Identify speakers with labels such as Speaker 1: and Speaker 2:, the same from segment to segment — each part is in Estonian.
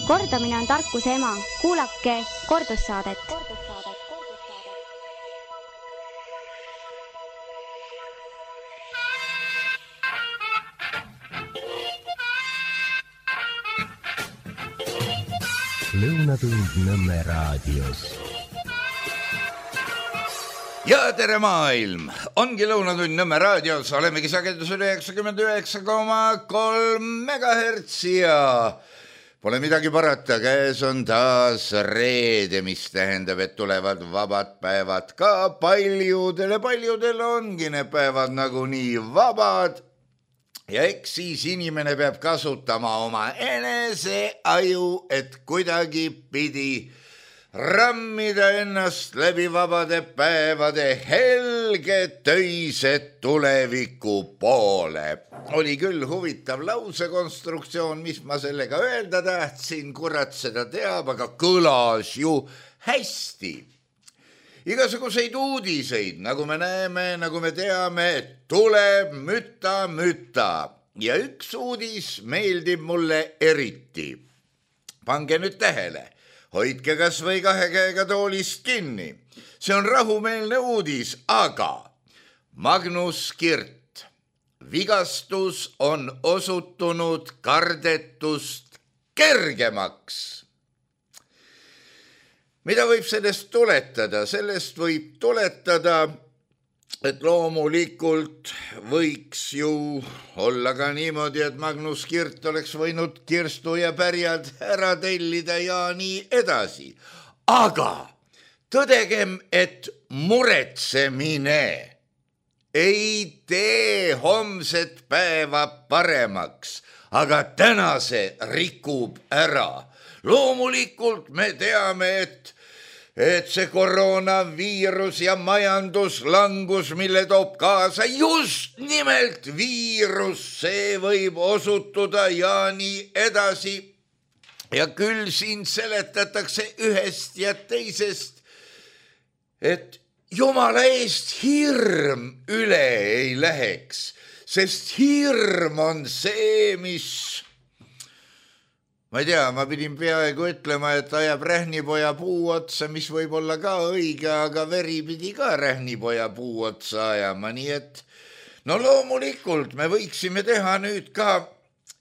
Speaker 1: Kordamine on tarkuse ema. Kuulake kordussaadet.
Speaker 2: Lõunatund Nõmme raadios.
Speaker 3: Ja tere maailm! Ongi Lõunatund Nõmme raadios. Olemegi sagedusel 99,3 MHz ja pole midagi parata. Käes on taas reede, mis tähendab, et tulevad vabad päevad ka paljudele. Paljudel ongi need päevad nagunii vabad. Ja eks siis inimene peab kasutama oma enese aju, et kuidagi pidi rammida ennast läbi vabade päevade helge töised tuleviku poole. Oli küll huvitav lausekonstruktsioon, mis ma sellega öelda tahtsin, kurat seda teab, aga kõlas ju hästi. Igasuguseid uudiseid, nagu me näeme, nagu me teame, tuleb müta. Ja üks uudis meeldib mulle eriti. Pange nüüd tähele, hoidke kas või 2 käega toolist kinni. See on rahumeelne uudis, aga Magnus Kirt, vigastus on osutunud kardetust kergemaks. Mida võib sellest tuletada? Sellest võib tuletada, et loomulikult võiks ju olla ka niimoodi, et Magnus Kirt oleks võinud kirstu ja pärjad ära tellida ja nii edasi. Aga tõdegem, et muretsemine ei tee homset päeva paremaks, aga tänase rikub ära. Loomulikult me teame, et see koroonaviirus ja majanduslangus, mille toob kaasa just nimelt viirus, see võib osutuda ja nii edasi. Ja küll siin seletatakse ühest ja teisest, et Jumala eest hirm üle ei läheks, sest hirm on see, mis... Ma ei tea, ma pidin peaaegu ütlema, et ajab rähnipoja puu otsa, mis võib olla ka õige, aga veri pidi ka rähnipoja puu otsa ajama, nii et no loomulikult me võiksime teha nüüd ka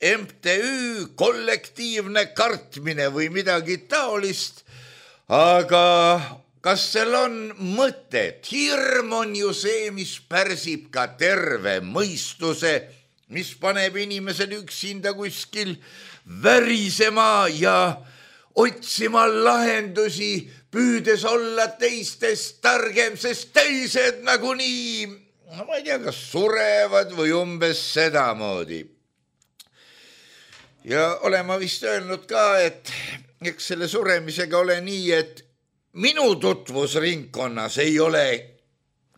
Speaker 3: MTÜ kollektiivne kartmine või midagi taolist, aga kas seal on mõtet? Hirm on ju see, mis pärsib ka terve mõistuse, mis paneb inimesed üksinda kuskil värisema ja otsima lahendusi, püüdes olla teistest targem, sest teised nagunii, ma ei tea, kas surevad või umbes sedamoodi. Ja olen ma vist öelnud ka, et eks selle suremisega ole nii, et minu tutvusringkonnas ei ole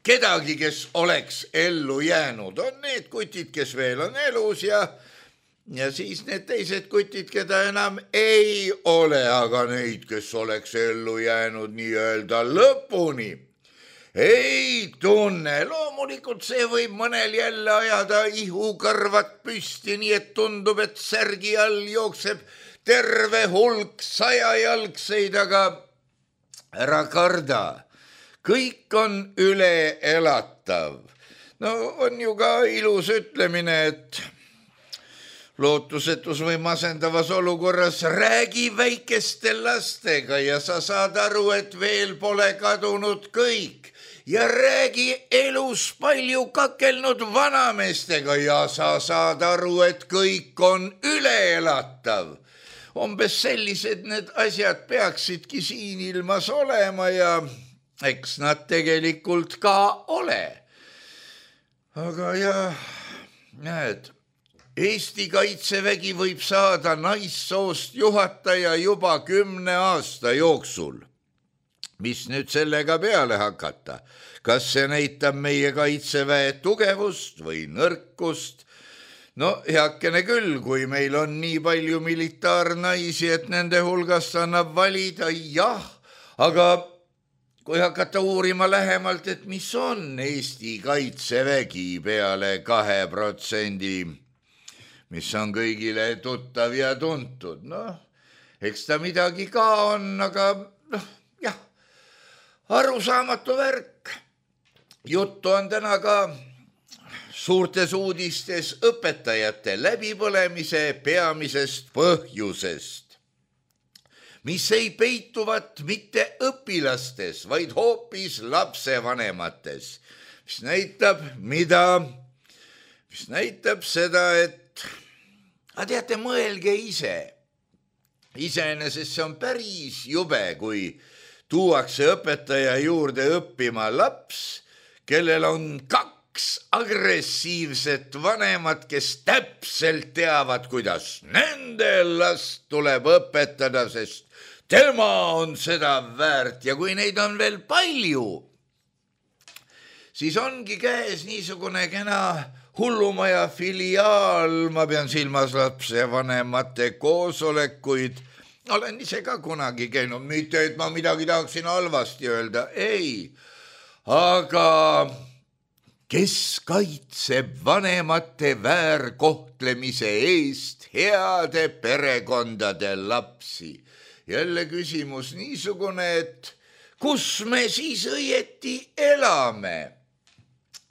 Speaker 3: kedagi, kes oleks ellu jäänud. On need kutid, kes veel on elus ja siis need teised kutid, keda enam ei ole, aga neid, kes oleks ellu jäänud nii-öelda lõpuni, ei tunne. Loomulikult see võib mõnel jälle ajada ihukõrvad püsti, nii et tundub, et särgi all jookseb terve hulk 100-jalgseid, aga ära karda. Kõik on üle elatav. No on ju ka ilus ütlemine, et lootusetus või masendavas olukorras räägi väikeste lastega ja sa saad aru, et veel pole kadunud kõik. Ja räägi elus palju kakelnud vanameestega ja sa saad aru, et kõik on üleelatav. Umbes sellised need asjad peaksidki siin ilmas olema ja eks nad tegelikult ka ole. Aga ja näed, Eesti Kaitsevägi võib saada naissoost juhataja juba 10 aasta jooksul. Mis nüüd sellega peale hakata? Kas see näitab meie Kaitseväe tugevust või nõrkust? No heakene küll, kui meil on nii palju militaarnaisi, et nende hulgast annab valida, jah, aga kui hakata uurima lähemalt, et mis on Eesti Kaitsevägi peale 2%, mis on kõigile tuttav ja tuntud. eks ta midagi ka on, aga noh, jah, arusaamatu värk. Juttu on täna ka suurtes uudistes õpetajate läbipõlemise peamisest põhjusest, mis ei peituvat mitte õpilastes, vaid hoopis lapsevanemates, mis näitab mida? Mis näitab seda, et teate, mõelge ise. Iseenesest see on päris jube, kui tuuakse õpetaja juurde õppima laps, kellel on 2 agressiivset vanemat, kes täpselt teavad, kuidas nende last tuleb õpetada, sest tema on seda väärt ja kui neid on veel palju, siis ongi käes niisugune kena hullumaja filiaal, ma pean silmas lapsevanemate koosolekuid. Olen ise ka kunagi käinud, mitte et ma midagi tahaksin halvasti öelda, ei. Aga kes kaitseb vanemate väärkohtlemise eest heade perekondade lapsi? Jälle küsimus niisugune, et kus me siis õieti elame?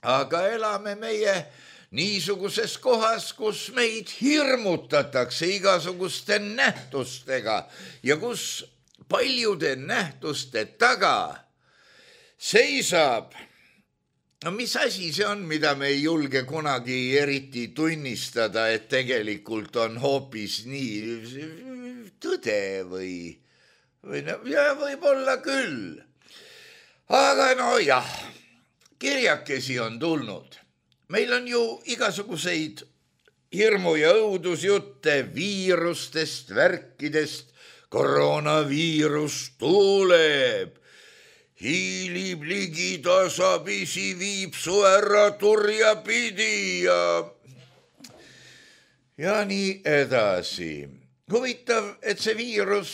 Speaker 3: Aga elame meie niisuguses kohas, kus meid hirmutatakse igasuguste nähtustega ja kus paljude nähtuste taga seisab, no mis asi see on, mida me ei julge kunagi eriti tunnistada, et tegelikult on hoopis nii tõde või no, ja võib-olla küll. Aga no jah, kirjakesi on tulnud. Meil on ju igasuguseid hirmu- ja õudusjutte viirustest, värkidest. Koroonaviirus tuleb, hiilib ligi tasapisi, viib su ära turja pidi ja nii edasi. Huvitav, et see viirus,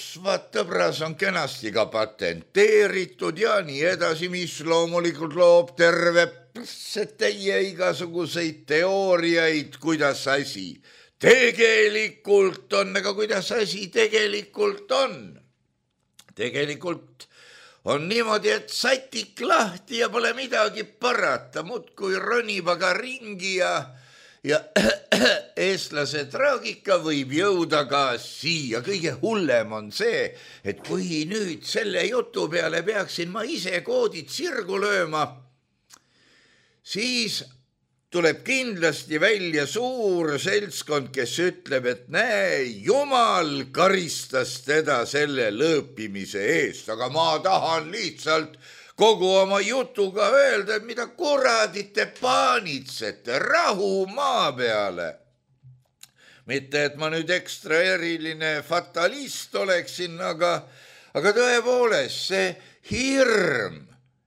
Speaker 3: tõbras, on kenasti ka patenteeritud ja nii edasi, mis loomulikult loob terve täie igasuguseid teooriaid, kuidas asi tegelikult on, aga kuidas asi tegelikult on. Tegelikult on niimoodi, et satik lahti ja pole midagi parata, muudkui ronib aga ringi ja eestlase traagika võib jõuda ka siia. Kõige hullem on see, et kui nüüd selle jutu peale peaksin ma ise koodid sirgu lööma, siis tuleb kindlasti välja suur seltskond, kes ütleb, et näe, Jumal karistas teda selle lõõpimise eest, aga ma tahan lihtsalt kogu oma jutuga öelda, et mida kuradit te paanitsete, rahu maa peale. Mitte, et ma nüüd ekstra eriline fatalist oleksin, aga tõepoolest see hirm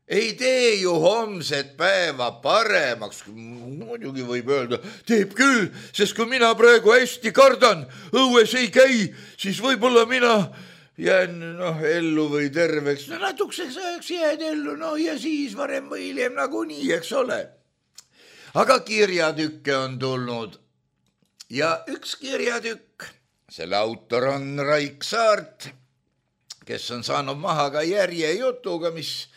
Speaker 3: ei tee ju homset päeva paremaks. Muidugi võib öelda, teeb küll, sest kui mina praegu hästi kardan, õues ei käi, siis võib-olla mina jään ellu või terveks. No natukeseks ajaks jääd ellu, ja siis varem või hiljem nagunii, eks ole. Aga kirjatükke on tulnud ja üks kirjatükk, selle autor on Raik Saart, kes on saanud maha ka järjejutuga, mis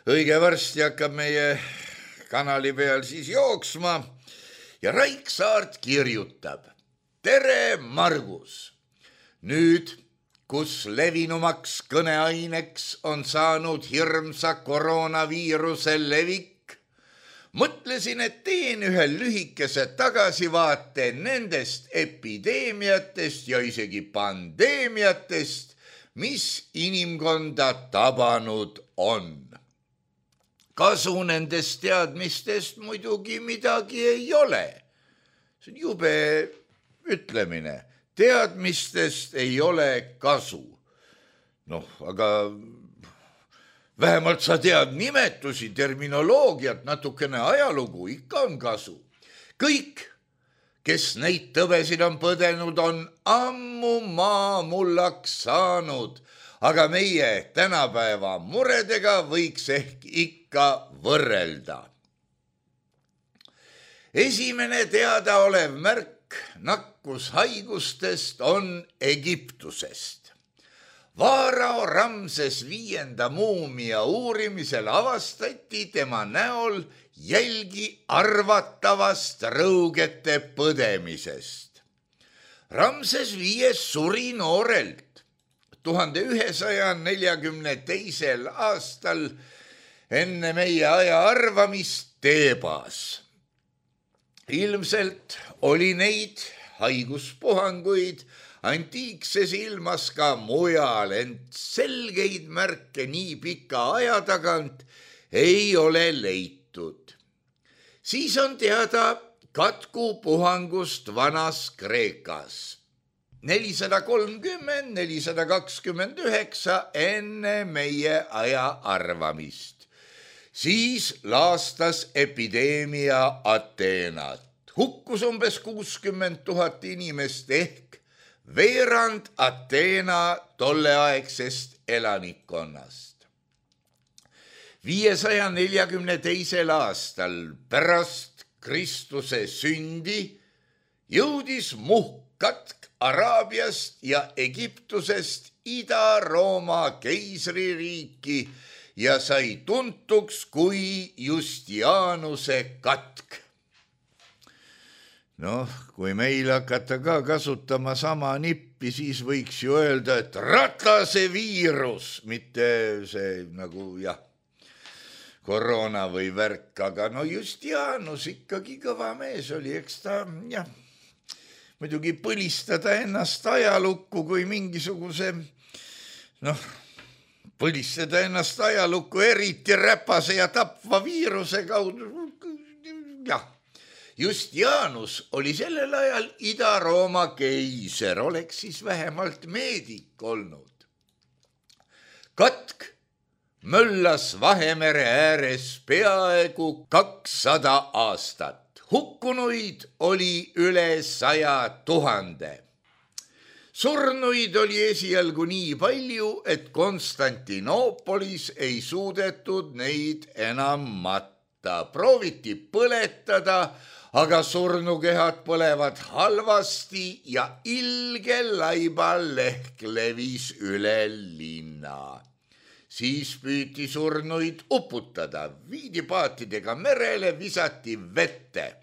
Speaker 3: õige varsti hakkab meie kanali peal siis jooksma ja Raik Saart kirjutab. Tere, Margus! Nüüd, kus levinumaks kõneaineks on saanud hirmsa koroonaviiruse levik, mõtlesin, et teen ühe lühikese tagasivaate nendest epideemiatest ja isegi pandeemiatest, mis inimkonda tabanud on. Kasu nendest teadmistest muidugi midagi ei ole. See on jube ütlemine. Teadmistest ei ole kasu. Aga vähemalt sa tead nimetusi, terminoloogiat, natukene ajalugu, ikka on kasu. Kõik, kes neid tõvesid on põdenud, on ammu maamullaks saanud. Aga meie tänapäeva muredega võiks ehk ikka võrrelda. Esimene teadaolev märk nakkushaigustest on Egiptusest. Vaarao Ramses V muumia uurimisel avastati tema näol jälgi arvatavast rõugete põdemisest. Ramses V suri noorelt 1142. aastal enne meie aja arvamist Teebas. Ilmselt oli neid haiguspuhanguid antiikses ilmas ka mujal, ent selgeid märke nii pika aja tagant ei ole leitud. Siis on teada katkupuhangust Vanas Kreekas 430–429 enne meie aja arvamist. Siis laastas epideemia Ateenat. Hukkus umbes 60 000 inimest ehk veerand Ateena tolleaegsest elanikkonnast. 542. aastal pärast Kristuse sündi jõudis muhkkatk Araabiast ja Egiptusest Ida-Rooma keisririiki ja sai tuntuks kui Justianuse katk. Noh, kui meil hakata ka kasutama sama nippi, siis võiks ju öelda, et Ratase viirus, mitte see nagu koroona või värk, aga no Justianus ikkagi kõva mees oli, eks ta muidugi põlistada ennast ajalukku kui mingisuguse, põlistada ennast ajalukku eriti räpase ja tapva viiruse kaudu, Justianus oli sellel ajal Ida-Rooma keiser, oleks siis vähemalt meedik olnud. Katk möllas Vahemere ääres peaaegu 200 aastat. Hukkunuid oli üle 100 000. Surnuid oli esialgu nii palju, et Konstantinoopolis ei suudetud neid enam matta. Prooviti põletada, aga surnukehad põlevad halvasti ja ilge laiballehk levis üle linna. Siis püüti surnuid uputada, viidi paatidega merele, visati vette.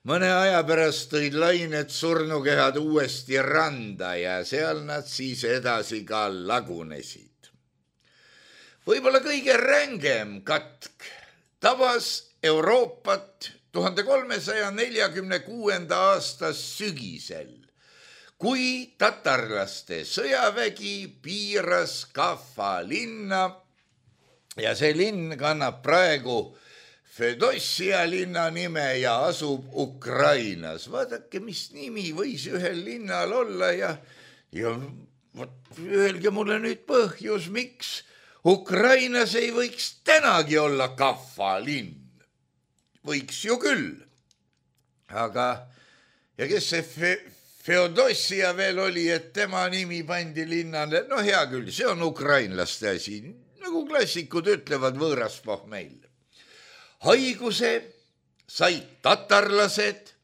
Speaker 3: Mõne aja pärast tõid lained surnukehad uuesti randa ja seal nad siis edasi ka lagunesid. Võib-olla kõige rängem katk tabas Euroopat 1346. aasta sügisel, kui tatarlaste sõjavägi piiras Kaffa linna ja see linn kannab praegu Fedossia linna nime ja asub Ukrainas. Vaadake, mis nimi võis ühel linnal olla ja öelge mulle nüüd põhjus, miks Ukrainas ei võiks tänagi olla Kaffa linn. Võiks ju küll. Aga ja kes see Feodossia veel oli, et tema nimi pandi linnale? No hea küll, see on ukrainlaste asi. Nagu klassikud ütlevad, võõras pohmeil. Haiguse said tatarlased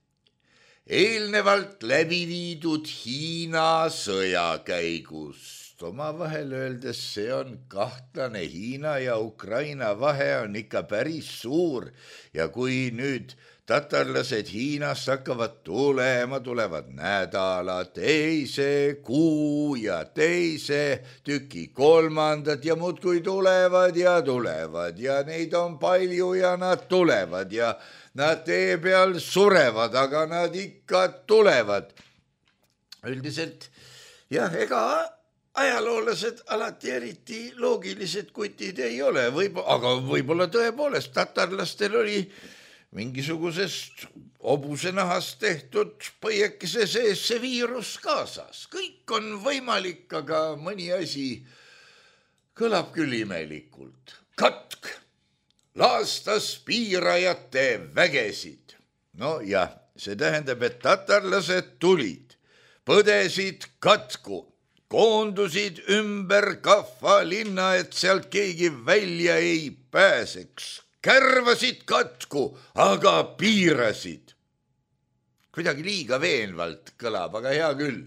Speaker 3: eelnevalt läbi viidud Hiina sõja käigust. Omavahel öeldes see on kahtlane. Hiina ja Ukraina vahe on ikka päris suur ja kui nüüd tatarlased Hiinast hakkavad tulema, tulevad nädala, teise kuu ja teise tüki kolmandad ja muudkui tulevad ja neid on palju ja nad tulevad ja nad tee peal surevad, aga nad ikka tulevad. Üldiselt ega ajaloolased alati eriti loogilised kutid ei ole, aga võib-olla tõepoolest tatarlastel oli mingisugusest hobusenahast tehtud põiekese sees see viirus kaasas. Kõik on võimalik, aga mõni asi kõlab küll imelikult. Katk laastas piirajate vägesid. No jah, see tähendab, et tatarlased tulid, põdesid katku, koondusid ümber Kaffa linna, et sealt keegi välja ei pääseks. Kärvasid katku, aga piirasid. Kuidagi liiga veenvalt kõlab, aga hea küll.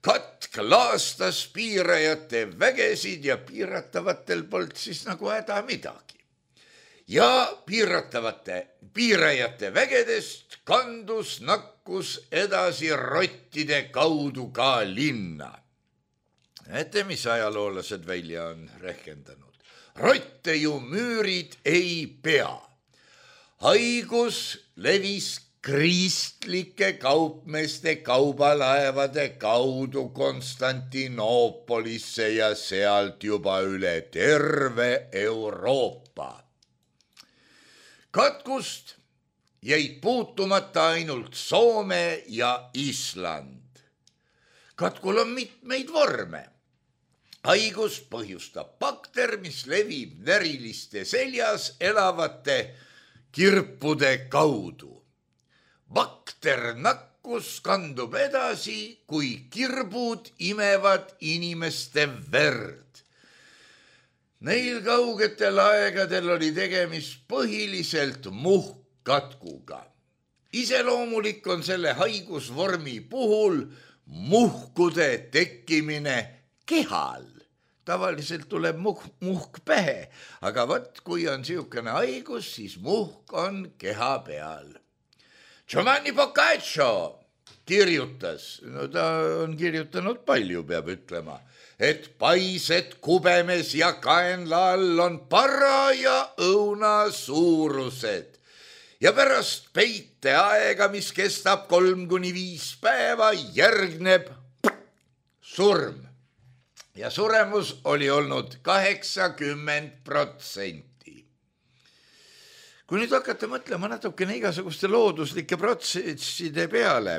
Speaker 3: katk laastas piirajate vägesid ja piiratavatel polnud siis nagu häda midagi. Ja piirajate vägedest kandus nakkus edasi rottide kaudu ka linna. Näete, mis ajaloolased välja on rehkendanud. Rotte ju müürid ei pea. Haigus levis kristlike kaupmeeste kaubalaevade kaudu Konstantinoopolisse ja sealt juba üle terve Euroopa. Katkust jäid puutumata ainult Soome ja Island. Katkul on mitmeid vorme. Haigus põhjustab bakter, mis levib näriliste seljas elavate kirpude kaudu. Bakter nakkus kandub edasi, kui kirbud imevad inimeste verd. Neil kaugetel aegadel oli tegemist põhiliselt muhkkatkuga. Iseloomulik on selle haigusvormi puhul muhkude tekkimine kehal. Tavaliselt tuleb muhk pähe, aga kui on siukene haigus, siis muhk on keha peal. Giovanni Boccaccio kirjutas, no ta on kirjutanud palju, peab ütlema, et paised kubemes ja kaenla all on para ja õuna suurused. Ja pärast peiteaega, mis kestab 3–5 päeva, järgneb surm. Ja suremus oli olnud 80%. Kui nüüd hakata mõtlema natukene igasuguste looduslike protsesside peale,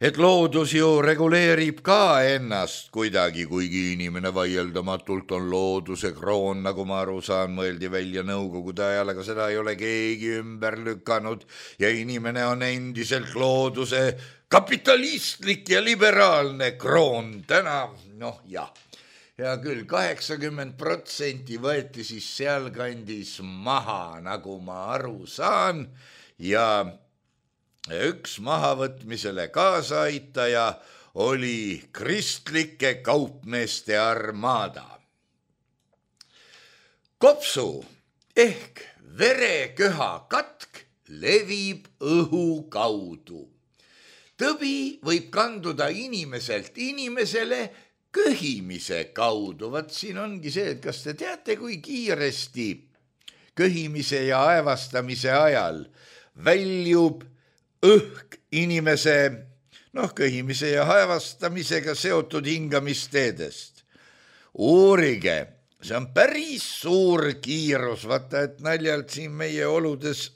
Speaker 3: et loodus ju reguleerib ka ennast kuidagi, kuigi inimene vaieldamatult on looduse kroon, nagu ma aru saan, mõeldi välja nõukogude ajal, aga seda ei ole keegi ümber lükanud ja inimene on endiselt looduse kapitalistlik ja liberaalne kroon täna, noh jah. Ja küll 80% võeti siis sealkandis maha, nagu ma aru saan, ja üks mahavõtmisele kaasaaitaja oli kristlike kaupmeeste armaada. Kopsu ehk vereköha katk levib õhu kaudu. Tõbi võib kanduda inimeselt inimesele köhimise kaudu. Vaat siin ongi see, et kas te teate, kui kiiresti köhimise ja aevastamise ajal väljub õhk inimese, köhimise ja aevastamisega seotud hingamisteedest. Uurige, see on päris suur kiirus, vaata, et naljalt siin meie oludes,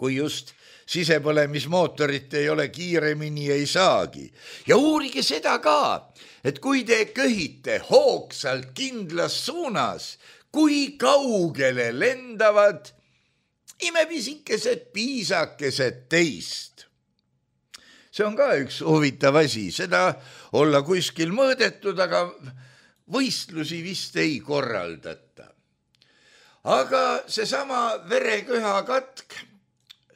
Speaker 3: kui just sisepõlemismootorit ei ole, kiiremini ei saagi. Ja uurige seda ka, et kui te köhite hoogsalt kindlas suunas, kui kaugele lendavad imepisikesed piisakesed teist. See on ka üks huvitav asi, seda olla kuskil mõõdetud, aga võistlusi vist ei korraldata. Aga seesama vereköha katk,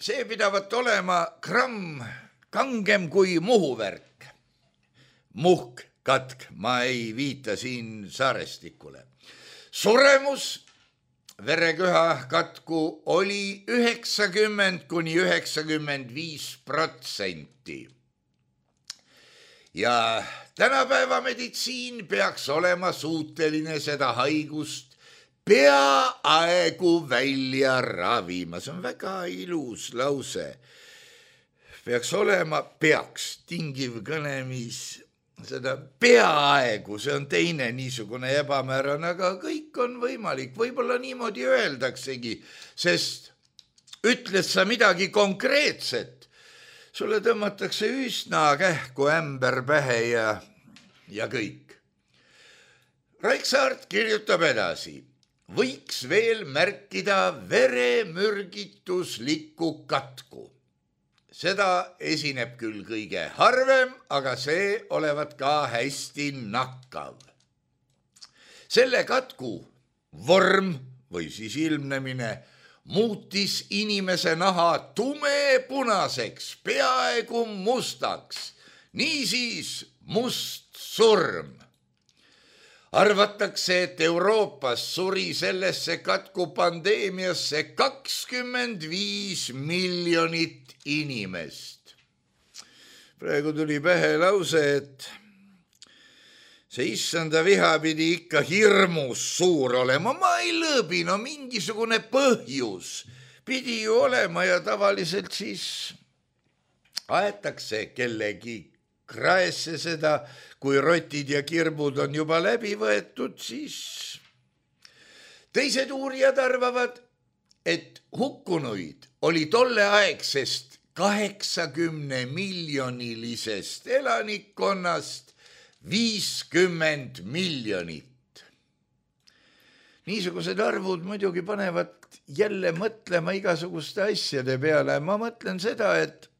Speaker 3: see pidavat olema gramm kangem kui muhuvärk. Muhkkatk, ma ei viita siin saarestikule. Suremus vereköha katku oli 90–95%. Ja tänapäeva meditsiin peaks olema suuteline seda haigust peaaegu välja ravima. See on väga ilus lause. Peaks olema, tingiv kõnemis, seda peaaegu, see on teine niisugune ebamäärane, aga kõik on võimalik. Võib-olla niimoodi öeldaksegi, sest ütled sa midagi konkreetset, sulle tõmmatakse üsna kähku ämber pähe ja kõik. Raiksaart kirjutab edasi. Võiks veel märkida veremürgituslikku katku. Seda esineb küll kõige harvem, aga see olevat ka hästi nakkav. Selle katku vorm või siis ilmnemine muutis inimese naha tumepunaseks, peaaegu mustaks niisiis must surm. Arvatakse, et Euroopas suri sellesse katkupandeemiasse 25 miljonit inimest. Praegu tuli pähe lause, et see issanda viha pidi ikka hirmus suur olema. Ma ei lõõbi, no mingisugune põhjus pidi ju olema ja tavaliselt siis aetakse kellegi kraesse seda, kui rotid ja kirbud on juba läbi võetud, siis teised uurijad arvavad, et hukkunuid oli tolleaegsest 80 miljonilisest elanikkonnast 50 miljonit. Niisugused arvud muidugi panevad jälle mõtlema igasuguste asjade peale. Ma mõtlen seda, et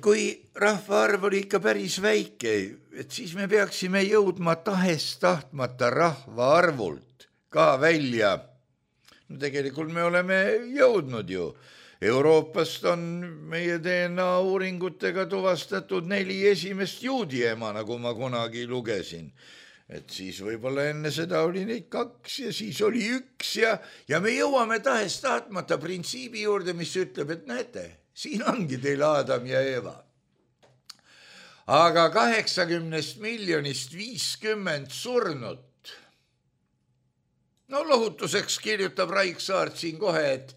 Speaker 3: kui rahvaarv oli ikka päris väike, et siis me peaksime jõudma tahes-tahtmata rahvaarvult ka välja. No tegelikult me oleme jõudnud ju. Euroopast on meie DNA uuringutega tuvastatud 4 esimest juudi ema, nagu ma kunagi lugesin. Et siis võib-olla enne seda oli neid 2 ja siis oli 1 ja me jõuame tahes-tahtmata printsiibi juurde, mis ütleb, et näete, siin ongi teil Adam ja Eva. Aga 80 miljonist 50 surnut. No lohutuseks kirjutab Raik Saart siin kohe, et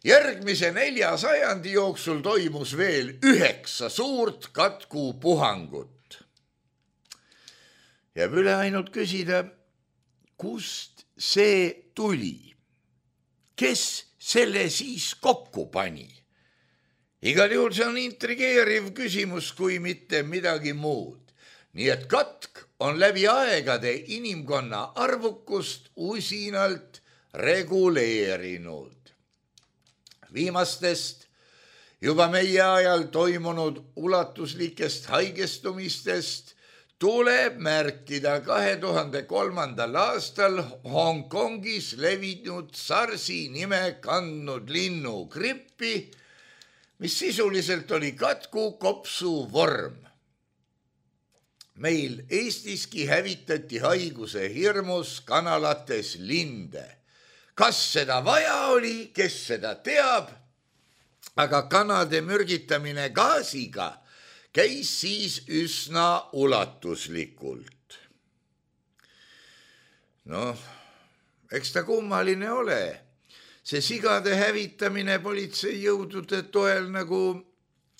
Speaker 3: järgmise 4 sajandi jooksul toimus veel 9 suurt katkupuhangut. Jääb üle ainult küsida, kust see tuli? Kes selle siis kokku pani? Igal juhul see on intrigeeriv küsimus, kui mitte midagi muud. Nii et katk on läbi aegade inimkonna arvukust usinalt reguleerinud. Viimastest juba meie ajal toimunud ulatuslikest haigestumistest tuleb märkida 2003. aastal Hongkongis levinud SARS-i nime kandnud linnugrippi, mis sisuliselt oli katkukopsu vorm. Meil Eestiski hävitati haiguse hirmus kanalates linde. Kas seda vaja oli, kes seda teab, aga kanade mürgitamine gaasiga käis siis üsna ulatuslikult. Noh, eks ta kummaline ole. See sigade hävitamine politseijõudude toel, nagu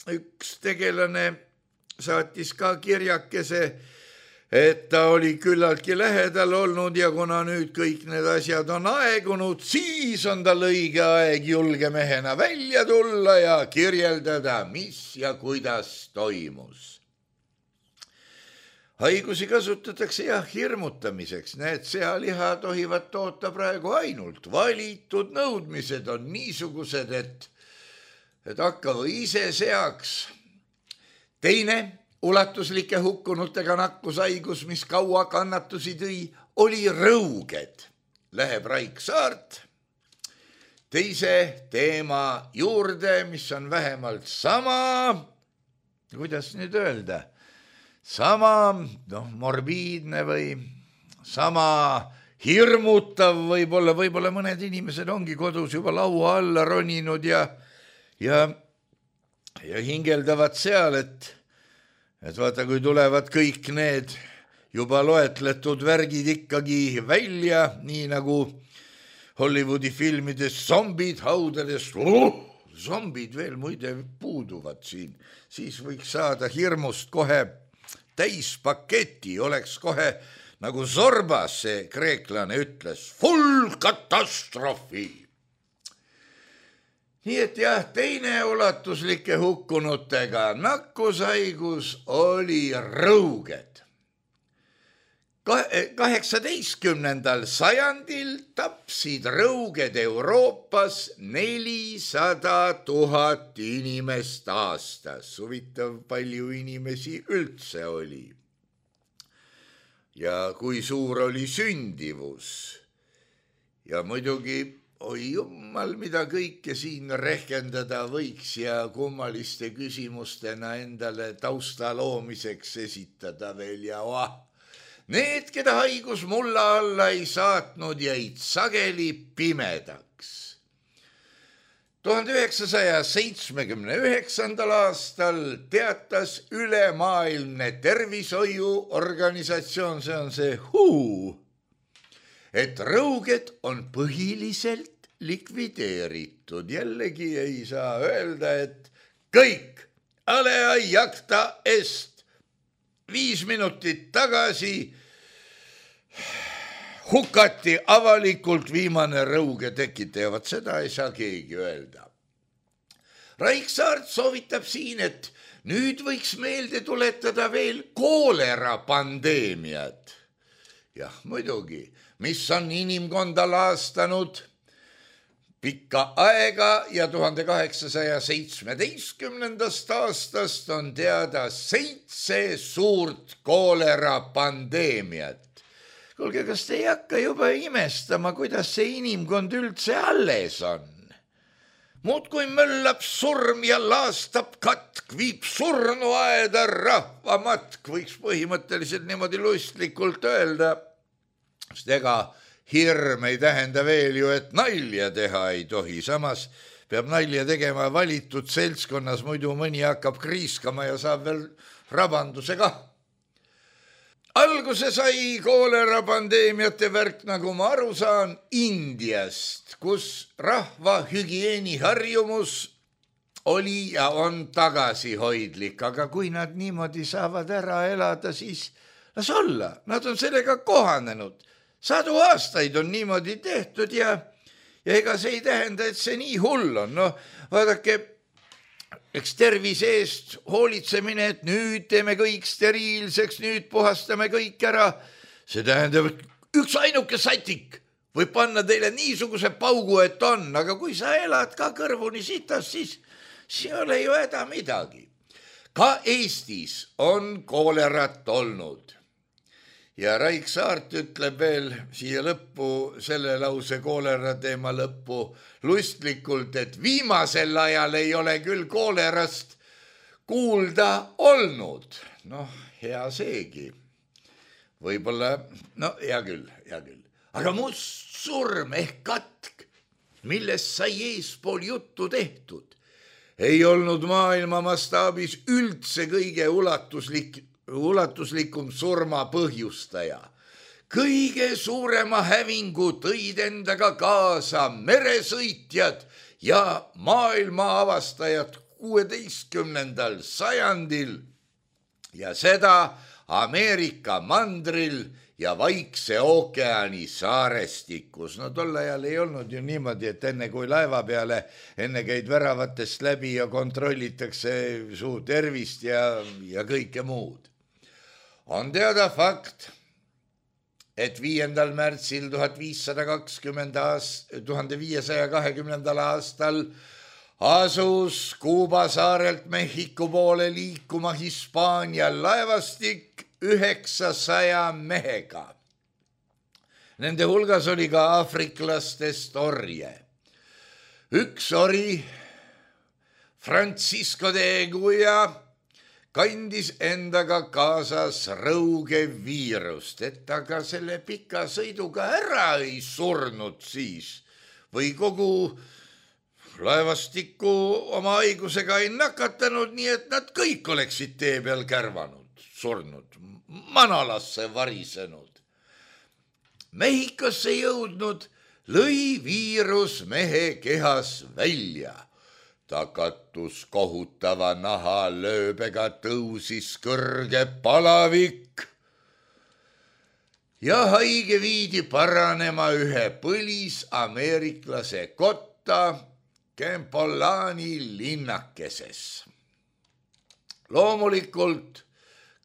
Speaker 3: üks tegelane saatis ka kirjakese, et ta oli küllaltki lähedal olnud ja kuna nüüd kõik need asjad on aegunud, siis on tal õige aeg julge mehena välja tulla ja kirjeldada, mis ja kuidas toimus. Haigusi kasutatakse hirmutamiseks, need sealiha tohivad toota praegu ainult. Valitud nõudmised on niisugused, et hakkagu ise seaks. Teine ulatuslike hukkunutega nakkushaigus, mis kaua kannatusi tõi, oli rõuged. Läheb Raik Saart teise teema juurde, mis on vähemalt sama, kuidas nüüd öelda, sama morbiidne või sama hirmutav võib-olla mõned inimesed ongi kodus juba laua alla roninud ja hingeldavad seal, et vaata, kui tulevad kõik need juba loetletud värgid ikkagi välja, nii nagu Hollywoodi filmides zombid haudades, zombid veel muide puuduvad siin, siis võiks saada hirmust kohe täispaketi, oleks kohe nagu Zorbas, see kreeklane ütles, full katastroofi. Nii et teine ulatuslike hukkunutega nakkushaigus oli rõuged. 18. sajandil tapsid rõuged Euroopas 400 000 inimest aastas. Huvitav, palju inimesi üldse oli. Ja kui suur oli sündivus. Ja muidugi oi jummal, mida kõike siin rehkendada võiks ja kummaliste küsimustena endale tausta loomiseks esitada veel ja Need, keda haigus mulla alla ei saatnud, jäid sageli pimedaks. 1979. aastal teatas ülemaailmne tervishoiuorganisatsioon, see on see WHO, et rõuged on põhiliselt likvideeritud. Jällegi ei saa öelda, et kõik alea jakta est 5 minutit tagasi hukati avalikult viimane rõuge tekitaja. Vaat seda ei saa keegi öelda. Raiksaart soovitab siin, et nüüd võiks meelde tuletada veel koolera pandeemiat. Jah, muidugi, mis on inimkonda laastanud pikka aega ja 1817. aastast on teada 7 suurt koolera pandeemiat. Kuulge, kas te ei hakka juba imestama, kuidas see inimkond üldse alles on? Muudkui möllab surm ja laastab katk, viib surnuaeda rahvamatk, võiks põhimõtteliselt niimoodi lustlikult öelda. Sest ega hirm ei tähenda veel ju, et nalja teha ei tohi. Samas peab nalja tegema valitud seltskonnas, muidu mõni hakkab kriiskama ja saab veel rabanduse kah. Alguse sai koolera pandeemiate värk, nagu ma aru saan, Indiast, kus rahva hügieeniharjumus oli ja on tagasihoidlik, aga kui nad niimoodi saavad ära elada, siis las olla, nad on sellega kohanenud. 100 aastaid on niimoodi tehtud ja ega see ei tähenda, et see nii hull on. No, vaadake, eks tervise eest hoolitsemine, et nüüd teeme kõik steriilseks, nüüd puhastame kõik ära. See tähendab, et üks ainuke satik võib panna teile niisuguse paugu, et on, aga kui sa elad ka kõrvuni sitas, siis ei ole ju häda midagi. Ka Eestis on koolerat olnud. Ja Raiksaart ütleb veel siia lõppu, selle lause koolera teema lõppu, lustlikult, et viimasel ajal ei ole küll koolerast kuulda olnud. Noh, hea seegi. Võib-olla, no hea küll. Aga must surm ehk katk, millest sai eespool juttu tehtud, ei olnud maailma mastaabis üldse kõige ulatuslikum surma põhjustaja. Kõige suurema hävingu tõid endaga kaasa meresõitjad ja maailma avastajad 16. sajandil ja seda Ameerika mandril ja Vaikse ookeani saarestikus. No tol ajal ei olnud ju niimoodi, et enne kui laeva peale, enne käid väravatest läbi ja kontrollitakse su tervist ja kõike muud. On teada fakt, et 5. märtsil 1520. aastal asus Kuuba saarelt Mehhiko poole liikuma Hispaania laevastik 900 mehega. Nende hulgas oli ka aafriklastest orje. Üks ori, Francisco de Eguia, kandis endaga kaasas rõuge viirust, et aga selle pika sõiduga ära ei surnud siis või kogu laevastikku oma haigusega ei nakatanud, nii et nad kõik oleksid tee peal kärvanud, surnud, manalasse varisenud. Mehhikosse jõudnud lõi viirus mehe kehas välja. Ta kattus kohutava nahalööbega, tõusis kõrge palavik ja haige viidi paranema ühe põlisameeriklase kotta Kempolani linnakeses. Loomulikult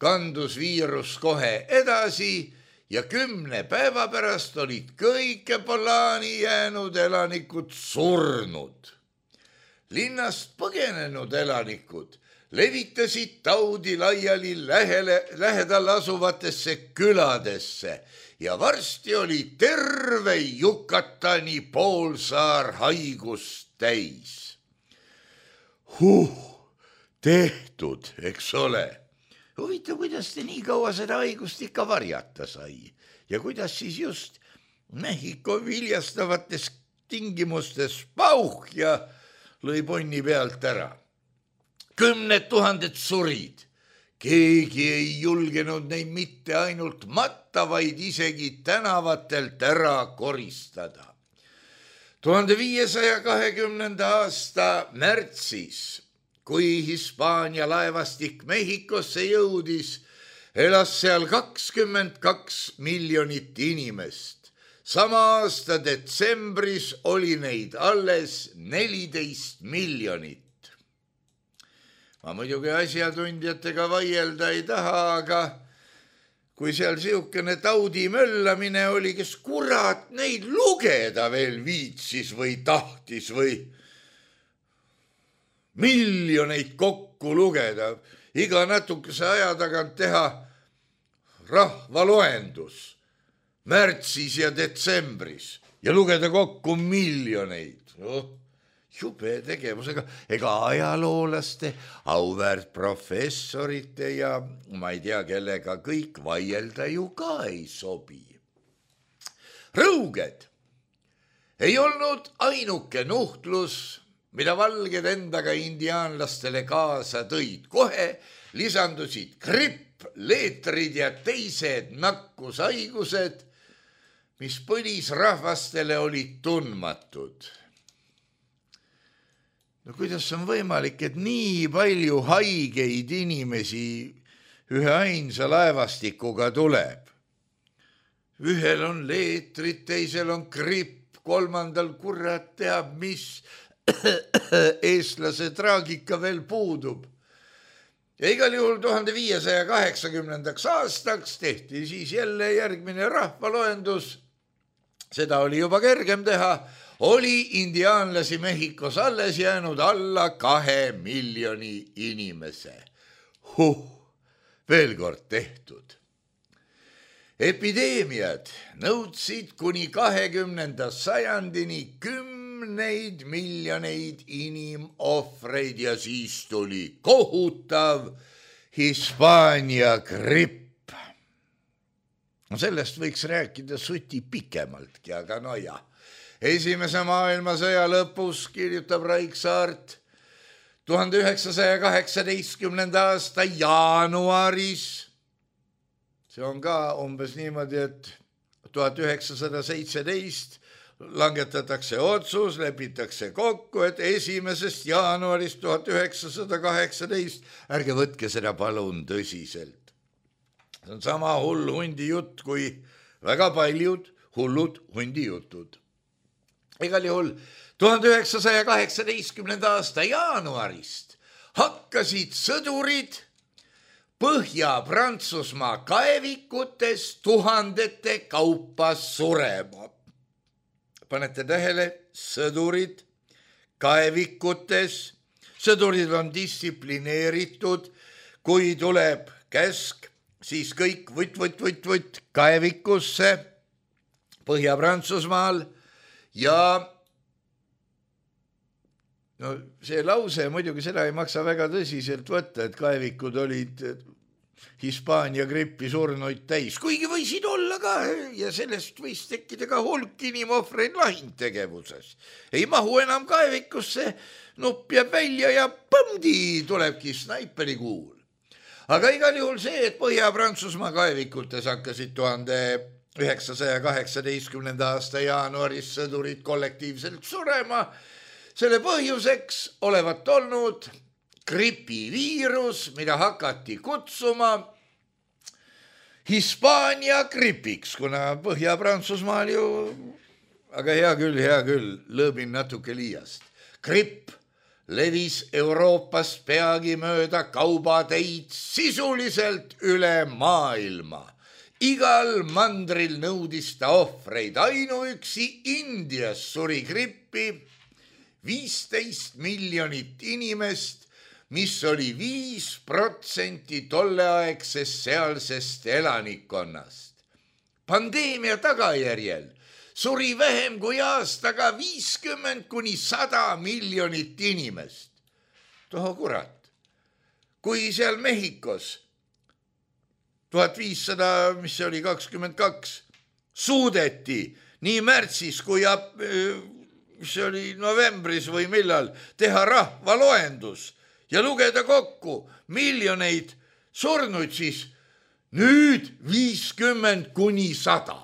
Speaker 3: kandus viirus kohe edasi ja 10 päeva pärast olid kõik Kempolani jäänud elanikud surnud. Linnast põgenenud elanikud levitasid taudi laiali lähedal asuvatesse küladesse ja varsti oli terve Yucatani poolsaar haigust täis. Tehtud, eks ole. Huvitav, kuidas te nii kaua seda haigust ikka varjata sai ja kuidas siis just Mehhiko viljastavates tingimustes pauh ja lõi ponni pealt ära. 10 000 surid. Keegi ei julgenud neid mitte ainult matta, vaid isegi tänavatelt ära koristada. 1520. aasta märtsis, kui Hispaania laevastik Mehhikosse jõudis, elas seal 22 miljonit inimest. Sama aasta detsembris oli neid alles 14 miljonit. Ma muidugi asjatundjatega vaielda ei taha, aga kui seal siukene taudi möllamine oli, kes kurat neid lugeda veel viitsis või tahtis või miljoneid kokku lugeda, iga natukese aja tagant teha rahvaloendus märtsis ja detsembris ja lugeda kokku miljoneid. Jube tegevusega, ega ajaloolaste, auväärt professorite ja ma ei tea, kellega kõik vaielda ju ka ei sobi. Rõuged ei olnud ainuke nuhtlus, mida valged endaga indiaanlastele kaasa tõid. Kohe lisandusid gripp, leetrid ja teised nakkushaigused, mis põlisrahvastele olid tundmatud. No kuidas on võimalik, et nii palju haigeid inimesi ühe ainsa laevastikuga tuleb? Ühel on leetrid, teisel on gripp, kolmandal kurat teab, mis eestlase traagika veel puudub. Ja igal juhul 1580. aastaks tehti siis jälle järgmine rahvaloendus. Seda oli juba kergem teha. Oli indiaanlasi Mehhikos alles jäänud alla 2 miljoni inimese. Veel kord tehtud. Epideemiad nõudsid kuni 20. sajandini 10 miljoneid inimohvreid ja siis tuli kohutav Hispaania gripp. No sellest võiks rääkida suti pikemaltki, aga no jah. Esimese maailmasõja lõpus, kirjutab Raiksaart, 1918. aasta jaanuaris, see on ka umbes niimoodi, et 1917 langetatakse otsus, lepitakse kokku, et 1. jaanuarist 1918, ärge võtke seda palun tõsiselt. See on sama hull hundi jutt kui väga paljud hullud hundi jutud. Igal juhul 1918. aasta jaanuarist hakkasid sõdurid Põhja-Prantsusmaa kaevikutes tuhandete kaupa surema. Panete tähele, sõdurid kaevikutes, sõdurid on distsiplineeritud, kui tuleb käsk, siis kõik võtt kaevikusse Põhja-Prantsusmaal. Ja no see lause muidugi seda ei maksa väga tõsiselt võtta, et kaevikud olid Hispaania grippi surnuid täis, kuigi võisid olla ka ja sellest võis tekkida ka hulk inimohvreid lahingtegevuses. Ei mahu enam kaevikusse, nupp jääb välja ja põmdi tulebki snaiperikuul. Aga igal juhul see, et Põhja-Prantsusmaa kaevikutes hakkasid 1918. aasta jaanuaris sõdurid kollektiivselt surema. Selle põhjuseks olevat olnud gripiviirus, mida hakati kutsuma Hispaania gripiks, kuna Põhja-Prantsusmaal ju, aga hea küll, lõõbin natuke liiast. Gripp levis Euroopast peagi mööda kaubateid sisuliselt üle maailma. Igal mandril nõudis ta ohvreid, ainuüksi Indias suri grippi 15 miljonit inimest, mis oli 5% tolleaegsest sealsest elanikkonnast. Pandeemia tagajärjel suri vähem kui aastaga 50–100 miljonit inimest. Toho kurat, kui seal Mehhikos 1500, mis oli 22, suudeti nii märtsis kui mis oli novembris või millal teha rahvaloendus ja lugeda kokku miljoneid surnuid, siis nüüd 50–100.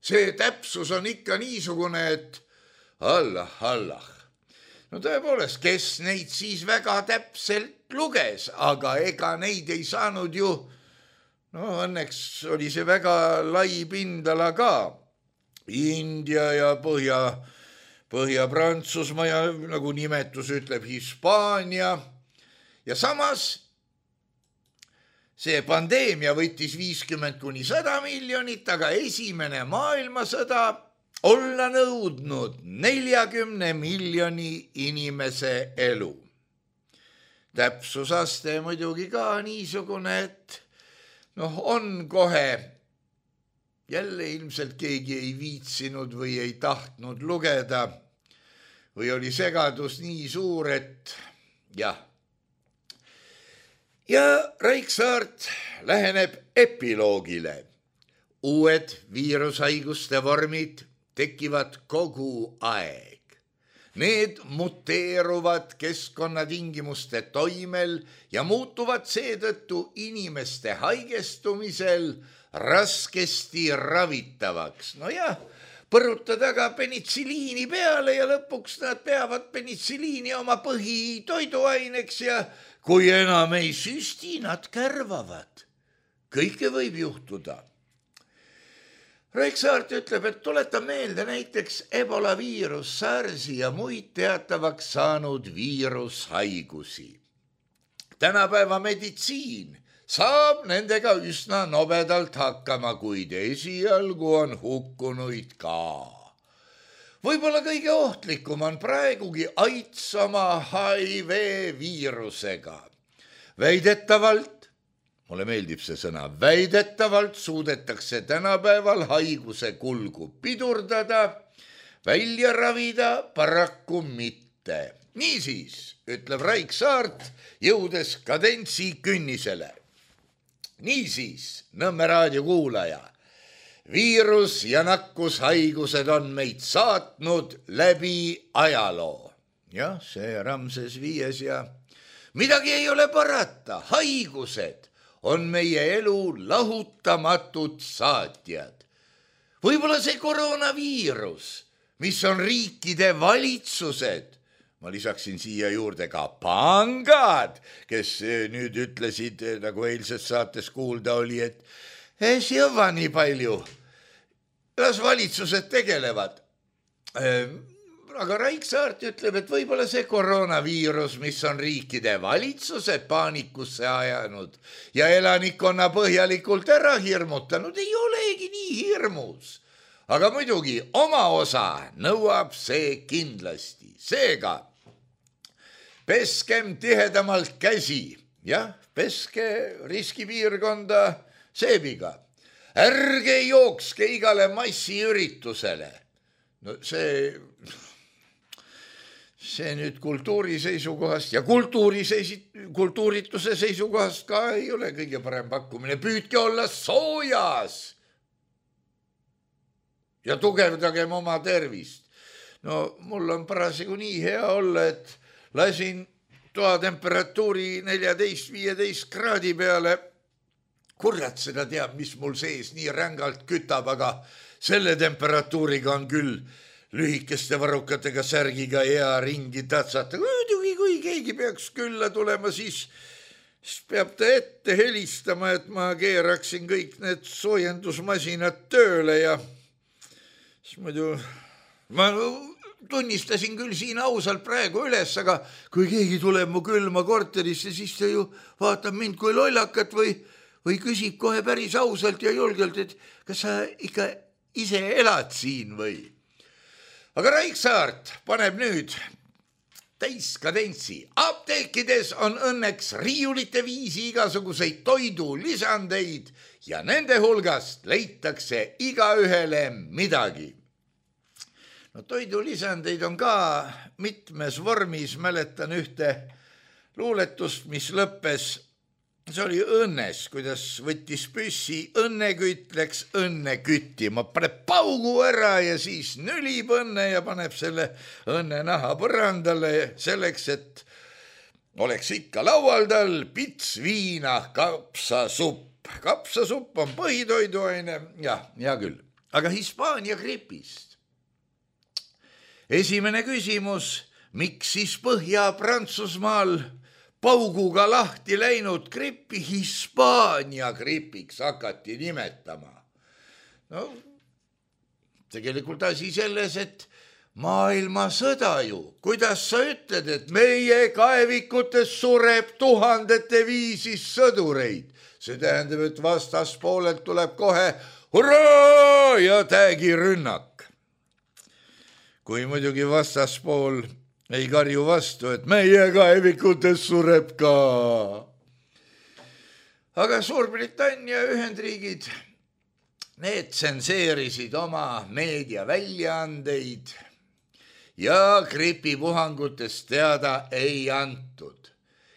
Speaker 3: See täpsus on ikka niisugune, et Allah. No tõepoolest, kes neid siis väga täpselt luges, aga ega neid ei saanud ju, õnneks oli see väga lai pindala ka. India ja Põhja-Prantsusmaa ja nagu nimetus ütleb Hispaania. Ja samas see pandeemia võttis 50–100 miljonit, aga esimene maailmasõda olla nõudnud 40 miljoni inimese elu. Täpsusaste muidugi ka niisugune, et on kohe, jälle ilmselt keegi ei viitsinud või ei tahtnud lugeda või oli segadus nii suur, et jah. Ja Raiksaart läheneb epiloogile. Uued viirushaiguste vormid tekivad kogu aeg. Need muteeruvad keskkonnatingimuste toimel ja muutuvad seetõttu inimeste haigestumisel raskesti ravitavaks. Põrutada ka penitsiliini peale ja lõpuks nad peavad penitsiliini oma põhitoiduaineks ja kui enam ei süsti, nad kärvavad. Kõike võib juhtuda. Raiksaart ütleb, et tuleta meelde näiteks Ebola viirus, SARSi ja muid teatavaks saanud viirushaigusi. Tänapäeva meditsiin saab nendega üsna nobedalt hakkama, kuid esialgu on hukkunuid ka. Võib-olla kõige ohtlikum on praegugi AIDS oma HIV viirusega. Väidetavalt, mulle meeldib see sõna, väidetavalt suudetakse tänapäeval haiguse kulgu pidurdada, välja ravida paraku mitte. Niisiis, ütleb Raiksaart, jõudes kadentsi künnisele. Niisiis, Nõmme raadio kuulaja, viirus ja nakkushaigused on meid saatnud läbi ajaloo. Jah, see Ramses viies ja midagi ei ole parata, haigused on meie elu lahutamatud saatjad. Võib-olla see koroonaviirus, mis on riikide valitsused, ma lisaksin siia juurde ka pangad, kes nüüd ütlesid, nagu eilses saates kuulda oli, et see on nii palju, las valitsused tegelevad. Aga Raiksaart ütleb, et võib-olla see koroonaviirus, mis on riikide valitsused paanikusse ajanud ja elanikkonna põhjalikult ära hirmutanud, ei olegi nii hirmus. Aga muidugi oma osa nõuab see kindlasti. Seega, peskem tihedamalt käsi, peske riskipiirkonda seebiga. Ärge jookske igale massiüritusele. No see nüüd kultuuri seisukohast ja kultuurituse seisukohast ka ei ole kõige parem pakkumine. Püüdke olla soojas ja tugevdagem oma tervist. No mul on parasjagu nii hea olla, et lasin toatemperatuuri 14–15 kraadi peale. Kurat seda teab, mis mul sees nii rängalt kütab, aga selle temperatuuriga on küll lühikeste varrukatega särgiga hea ringi tatsata. Kui keegi peaks külla tulema, siis peab ta ette helistama, et ma keeraksin kõik need soojendusmasinad tööle ja siis muidu ma tunnistasin küll siin ausalt praegu üles, aga kui keegi tuleb mu külma korterisse, siis ta ju vaatab mind kui lollakat või küsib kohe päris ausalt ja julgelt, et kas sa ikka ise elad siin või? Aga Raiksaart paneb nüüd täiskadentsi. Apteekides on õnneks riiulite viisi igasuguseid toidulisandeid ja nende hulgast leitakse igaühele midagi. No toidulisandeid on ka mitmes vormis, mäletan ühte luuletust, mis lõppes, see oli õnnes, kuidas võttis püssi, õnnekütt läks õnne küttima, paneb paugu ära ja siis nülib õnne ja paneb selle õnne naha põrandale selleks, et oleks ikka laual tal pits viina, kapsasupp. Kapsasupp on põhitoiduaine, jah, hea küll. Aga Hispaania gripist. Esimene küsimus, miks siis Põhja-Prantsusmaal pauguga lahti läinud grippi Hispaania gripiks hakati nimetama? No, tegelikult asi selles, et maailmasõda ju, kuidas sa ütled, et meie kaevikutes sureb tuhandete viisi sõdureid. See tähendab, et vastaspoolelt tuleb kohe hurraa ja täägirünnak. Kui muidugi vastaspool ei karju vastu, et meie kaevikutes sureb ka. Aga Suurbritannia Ühendriigid, need tsenseerisid oma meediaväljaandeid ja gripipuhangutest teada ei antud.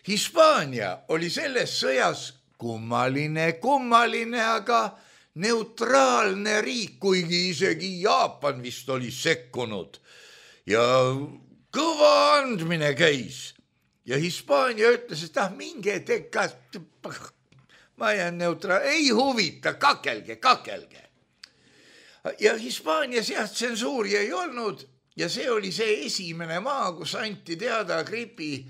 Speaker 3: Hispaania oli selles sõjas kummaline, aga neutraalne riik, kuigi isegi Jaapan vist oli sekkunud ja kõva andmine käis. Ja Hispaania ütles, et minge teka, ma jään ei huvita, kakelge. Ja Hispaanias tsensuuri ei olnud ja see oli see esimene maa, kus anti teada gripi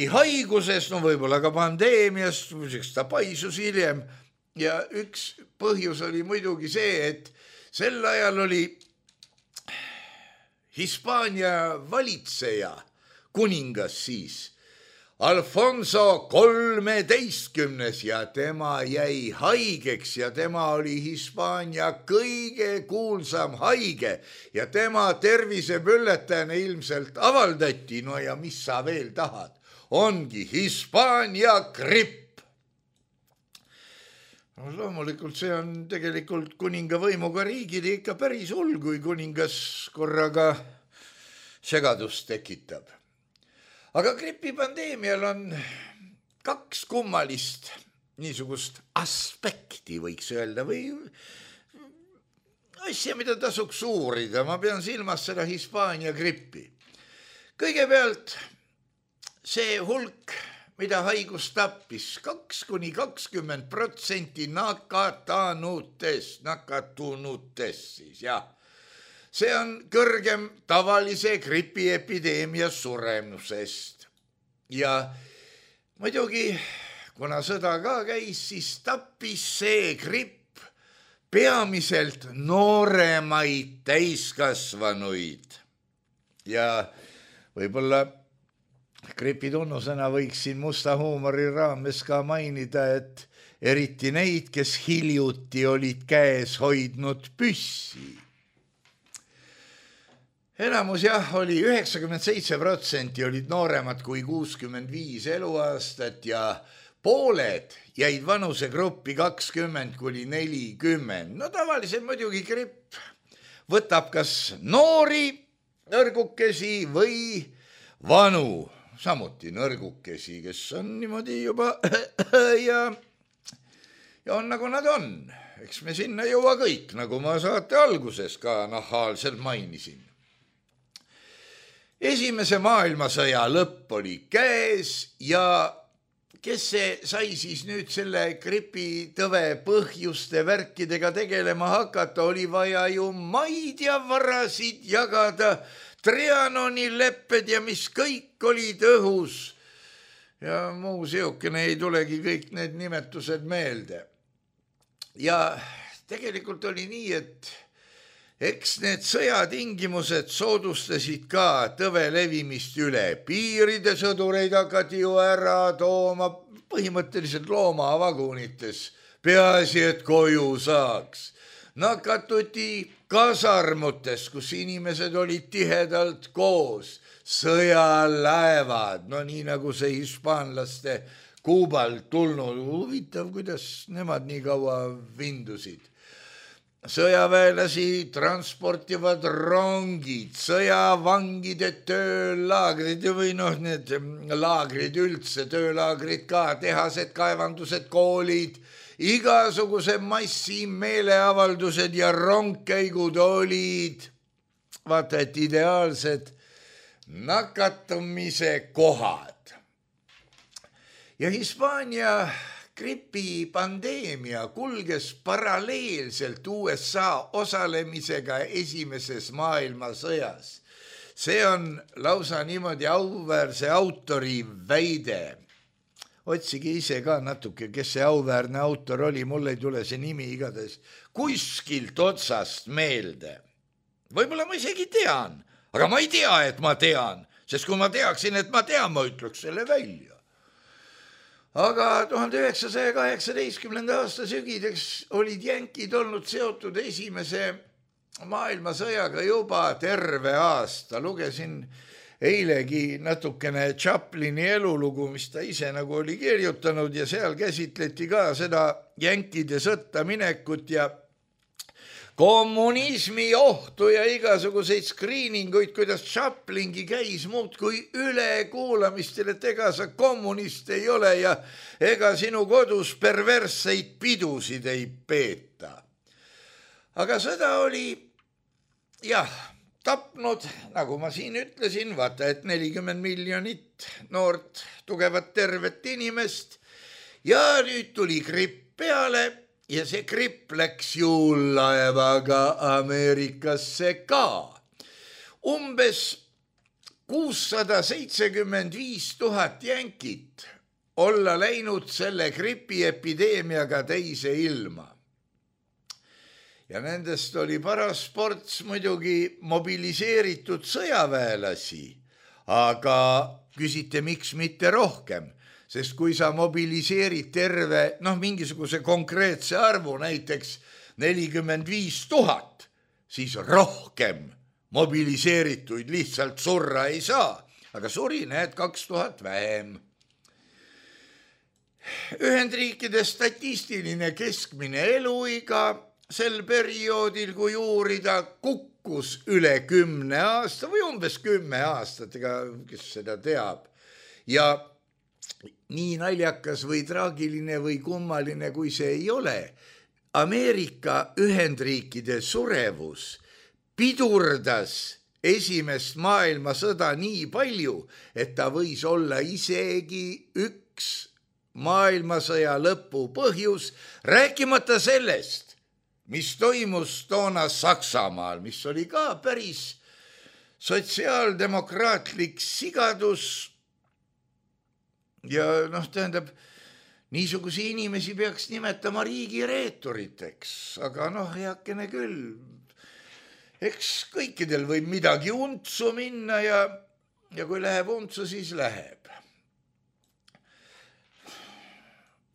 Speaker 3: haigusest, no võib-olla ka pandeemiast, muidugi ta paisus hiljem. Ja üks põhjus oli muidugi see, et sel ajal oli Hispaania valitseja, kuningas siis, Alfonso 13 ja tema jäi haigeks ja tema oli Hispaania kõige kuulsam haige ja tema tervisebülletääne ilmselt avaldati, no ja mis sa veel tahad, ongi Hispaania gripp. No, loomulikult see on tegelikult kuninga võimuga riigile ikka päris hull, kui kuningas korraga segadust tekitab. Aga gripipandeemial on kaks kummalist niisugust aspekti, võiks öelda, või asja, mida tasuks uurida. Ma pean silmas seda Hispaania grippi. Kõigepealt see hulk, mida haigus tappis, 2–20% nakatunutest siis, jah. See on kõrgem tavalise gripiepideemia suremusest. Ja muidugi, kuna sõda ka käis, siis tappis see gripp peamiselt nooremaid täiskasvanuid. Ja võib-olla gripi tunnusena võiksin musta huumori raames ka mainida, et eriti neid, kes hiljuti olid käes hoidnud püssi. Enamus oli 97% olid nooremad kui 65 eluaastat ja pooled jäid vanusegruppi 20–40. No tavaliselt muidugi gripp võtab kas noori nõrgukesi või vanu, samuti nõrgukesi, kes on niimoodi juba ja on nagu nad on. Eks me sinna jõua kõik, nagu ma saate alguses ka nahaalselt mainisin. Esimese maailmasõja lõpp oli käes ja kes see sai siis nüüd selle gripitõve põhjuste värkidega tegelema hakata, oli vaja ju maid ja varasid jagada, Trianoni lepped ja mis kõik olid õhus. Ja muu seokene ei tulegi kõik need nimetused meelde. Ja tegelikult oli nii, et eks need sõjatingimused soodustasid ka tõve levimist üle. Piiride sõdureid hakati ju ära tooma põhimõtteliselt loomavagunites. Peaasi, et koju saaks. Nakatuti kasarmutes, kus inimesed olid tihedalt koos. sõjalaevad, no nii nagu see hispaanlaste Kuubalt tulnud, huvitav, kuidas nemad nii kaua vindusid. Sõjaväelasi transportivad rongid, sõjavangide töölaagrid või need laagrid üldse, töölaagrid ka, tehased, kaevandused, koolid, igasuguse massi meeleavaldused ja rongkäigud olid, vaata, et ideaalsed nakatumise kohad. Ja Hispaania gripipandeemia kulges paralleelselt USA osalemisega esimeses maailmasõjas. See on lausa niimoodi auväärse autori väide. Otsige ise ka natuke, kes see auväärne autor oli, mulle ei tule see nimi igatahes kuskilt otsast meelde. Võib-olla ma isegi tean, aga ma ei tea, et ma tean, sest kui ma teaksin, et ma tean, ma ütleks selle välja. Aga 1918. aasta sügideks olid jänkid olnud seotud esimese maailmasõjaga juba terve aasta. Lugesin eilegi natukene Chaplini elulugu, mis ta ise nagu oli kirjutanud ja seal käsitleti ka seda jänkide sõtta minekut ja kommunismi ohtu ja igasuguseid screeninguid, kuidas Chaplingi käis muudkui ülekuulamistel, et ega sa kommunist ei ole ja ega sinu kodus perversseid pidusid ei peeta. Aga sõda oli, tapnud, nagu ma siin ütlesin, vaata, et 40 miljonit noort, tugevat, tervet inimest ja nüüd tuli gripp peale ja see gripp läks juullaevaga Ameerikasse ka. Umbes 675 000 jänkit olla läinud selle gripiepideemiaga teise ilma. Ja nendest oli paras sports muidugi mobiliseeritud sõjaväelasi, aga küsite, miks mitte rohkem? Sest kui sa mobiliseerid terve, mingisuguse konkreetse arvu, näiteks 45 000, siis rohkem mobiliseerituid lihtsalt surra ei saa. Aga suri, 2000 vähem. Ühendriikide statistiline keskmine eluiga sel perioodil, kui uurida, kukkus üle 10 aasta või umbes 10 aastat, ega kes seda teab. Ja nii naljakas või traagiline või kummaline, kui see ei ole, Ameerika Ühendriikide surevus pidurdas esimest maailmasõda nii palju, et ta võis olla isegi üks maailmasõja lõpu põhjus, rääkimata sellest, mis toimus toona Saksamaal, mis oli ka päris sotsiaaldemokraatlik sigadus. Ja tähendab, niisugusi inimesi peaks nimetama riigireeturiteks, aga heakene küll. Eks kõikidel võib midagi untsu minna ja kui läheb untsu, siis läheb.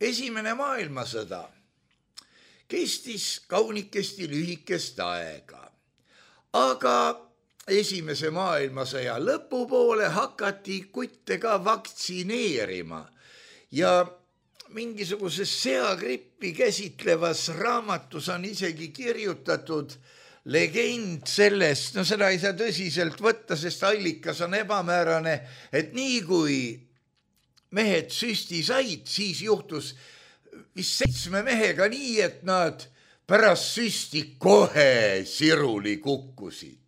Speaker 3: Esimene maailmasõda kestis kaunikesti lühikest aega, aga esimese maailmasõja lõpupoole hakati kutte ka vaktsineerima ja mingisuguses seagrippi käsitlevas raamatus on isegi kirjutatud legend sellest, seda ei saa tõsiselt võtta, sest allikas on ebamäärane, et nii kui mehed süsti said, siis juhtus vist 7 mehega nii, et nad pärast süsti kohe siruli kukkusid.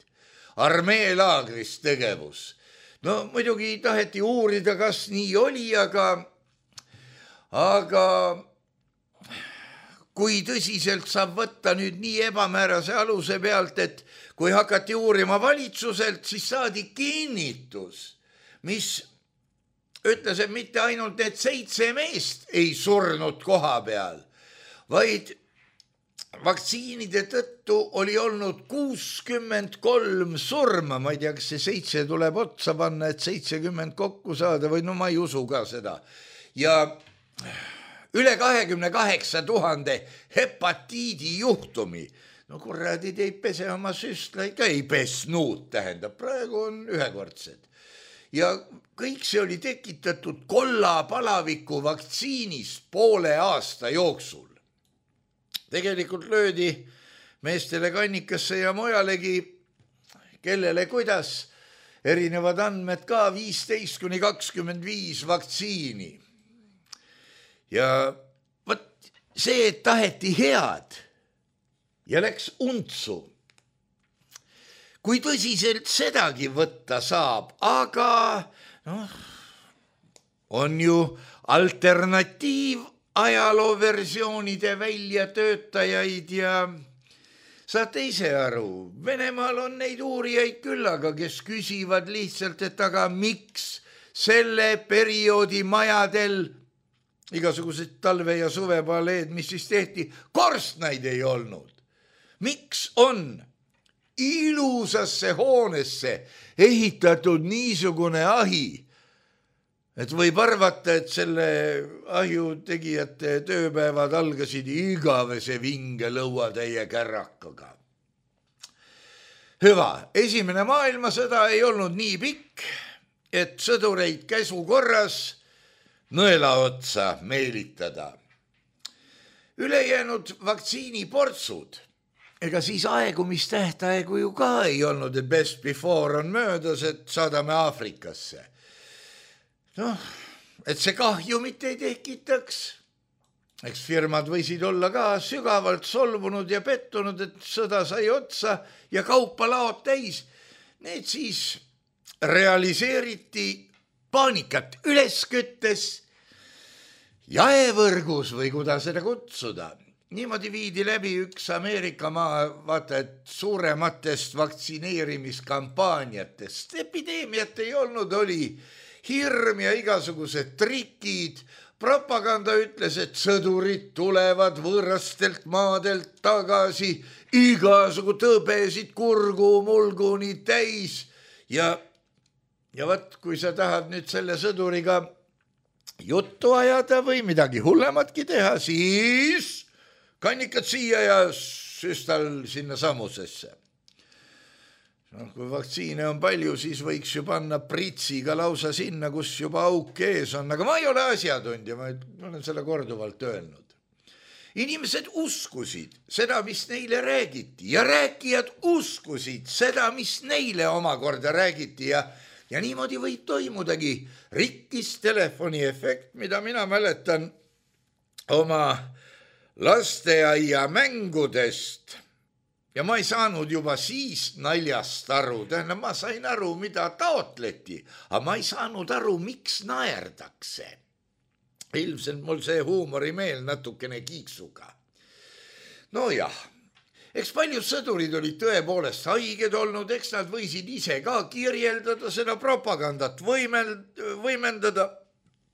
Speaker 3: Armeelaagris tegevus. Muidugi taheti uurida, kas nii oli, aga kui tõsiselt saab võtta nüüd nii ebamäärase aluse pealt, et kui hakati uurima valitsuselt, siis saadi kinnitus, mis ütles, et mitte ainult need 7 meest ei surnud koha peal, vaid vaktsiinide tõttu oli olnud 63 surma, ma ei tea, kas see 7 tuleb otsa panna, et 70 kokku saada või ma ei usu ka seda. Ja üle 28 000 hepatiidi juhtumi. Kurradid ei pese oma süstlaid ka, ei pesnud, tähendab, praegu on ühekordsed. ja kõik see oli tekitatud kollapalaviku vaktsiinist poole aasta jooksul. Tegelikult löödi meestele kannikasse ja mujalegi, kellele kuidas, erinevad andmed ka 15–25 vaktsiini. Ja võt see, et taheti head ja läks untsu. Kui tõsiselt sedagi võtta saab, aga on ju alternatiiv ajalooversioonide väljatöötajaid ja saate ise aru, Venemaal on neid uurijaid küllaga, kes küsivad lihtsalt, et aga miks selle perioodi majadel igasugused talve- ja suvepaleed, mis siis tehti, korstnaid ei olnud. Miks on ilusasse hoonesse ehitatud niisugune ahi, et võib arvata, et selle ahju tegijate tööpäevad algasid igavese vinge lõuatäie kärrakaga. Hüva, esimene maailmasõda ei olnud nii pikk, et sõdureid käsu korras nõela otsa meelitada. Ülejäänud vaktsiiniportsud, ega siis aegumistähtaegu ju ka ei olnud, et best before on möödas, et saadame Aafrikasse. Et see kahjumit ei tekitaks. Eks firmad võisid olla ka sügavalt solvunud ja pettunud, et sõda sai otsa ja kaupalaod täis. Need siis realiseeriti paanikat üles küttes jaevõrgus või kuidas seda kutsuda. Niimoodi viidi läbi üks Ameerika maa, vaata, et suurematest vaktsineerimiskampaaniatest. Epideemiat ei olnud, oli hirm ja igasugused trikid. Propaganda ütles, et sõdurid tulevad võõrastelt maadelt tagasi, igasugu tõbesid kurgu mulguni täis. Ja võt, kui sa tahad nüüd selle sõduriga juttu ajada või midagi hullematki teha, siis kannikad siia ja süstal sinna samusesse. Kui vaktsiine on palju, siis võiks ju panna pritsiga lausa sinna, kus juba auk ees on, aga ma ei ole asjatundja, ma olen selle korduvalt öelnud. Inimesed uskusid seda, mis neile räägiti ja rääkijad uskusid seda, mis neile omakorda räägiti ja niimoodi võib toimudagi rikkis telefoni efekt, mida mina mäletan oma lasteaia mängudest. Ja ma ei saanud juba siis naljast aru, tähendab, ma sain aru, mida taotleti, aga ma ei saanud aru, miks naerdakse. Ilmselt mul see huumorimeel natukene kiiksuga. No jah, eks paljud sõdurid olid tõepoolest haiged olnud, eks nad võisid ise ka kirjeldada seda propagandat, võimendada,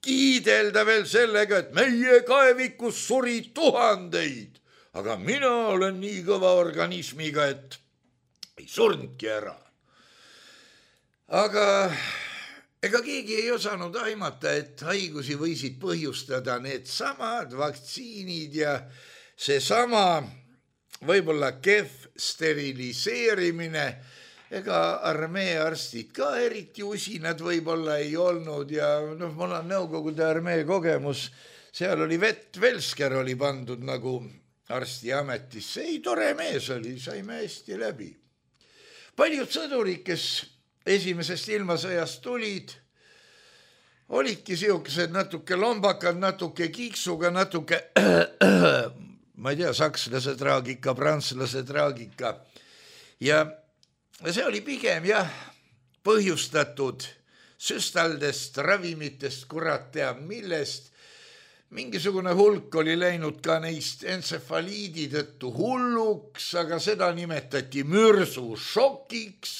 Speaker 3: kiidelda veel sellega, et meie kaevikus suri tuhandeid. Aga mina olen nii kõva organismiga, et ei surnudki ära. Aga ega keegi ei osanud aimata, et haigusi võisid põhjustada need samad vaktsiinid ja seesama võib-olla kehv steriliseerimine. Ega armee arstid ka eriti usinad võib-olla ei olnud ja mul on Nõukogude armee kogemus. Seal oli Velsker oli pandud nagu arstiametisse. Ei, tore mees oli, saime hästi läbi. Paljud sõdurid, kes esimesest ilmasõjast tulid, olidki siukesed natuke lombakad, natuke kiiksuga, natuke, ma ei tea, sakslase traagika, prantslase traagika. Ja see oli pigem põhjustatud süstaldest, ravimitest, kurat teab millest. Mingisugune hulk oli läinud ka neist entsefaliidi tõttu hulluks, aga seda nimetati mürsušokiks.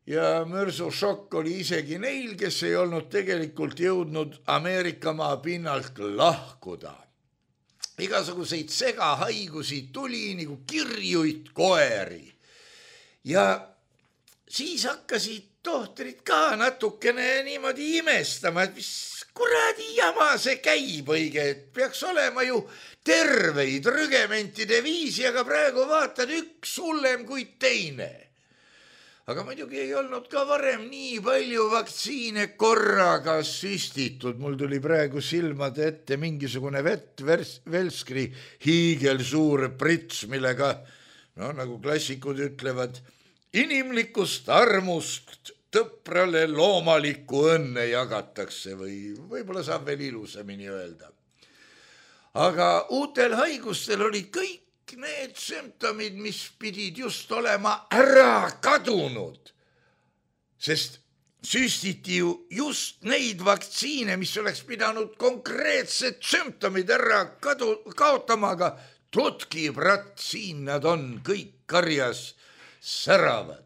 Speaker 3: Ja mürsušokk oli isegi neil, kes ei olnud tegelikult jõudnud Ameerika maa pinnalt lahkuda. Igasuguseid segahaigusi tuli nagu kirjuid koeri. Ja siis hakkasid tohtrid ka natukene niimoodi imestama, et mis kuradi jama see käib õige, et peaks olema ju terveid rügementide viisi, aga praegu vaatad üks hullem kui teine. aga muidugi ei olnud ka varem nii palju vaktsiine korraga süstitud. Mul tuli praegu silmade ette mingisugune Velskri hiigelsuur prits, millega, nagu klassikud ütlevad, inimlikust armust tõprale loomalikku õnne jagatakse või võib-olla saab veel ilusamini öelda. Aga uutel haigustel olid kõik need sümptomid, mis pidid just olema ära kadunud, sest süstiti ju just neid vaktsiine, mis oleks pidanud konkreetsed sümptomid ära kaotama, aga tutki, brat, siin nad on kõik karjas säravad.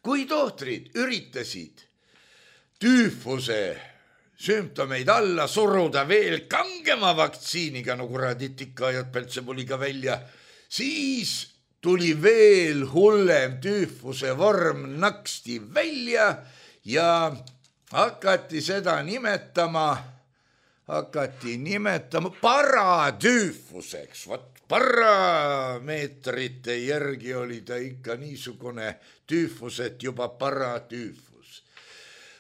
Speaker 3: Kui tohtrid üritasid tüüfuse sümptomeid alla suruda veel kangema vaktsiiniga, no kuradit ikka ajad Peltsebuliga välja, siis tuli veel hullem tüüfuse vorm naksti välja ja hakati seda nimetama paratüüfuseks. Parameetrite järgi oli ta ikka niisugune tüüfus, et juba paratüüfus.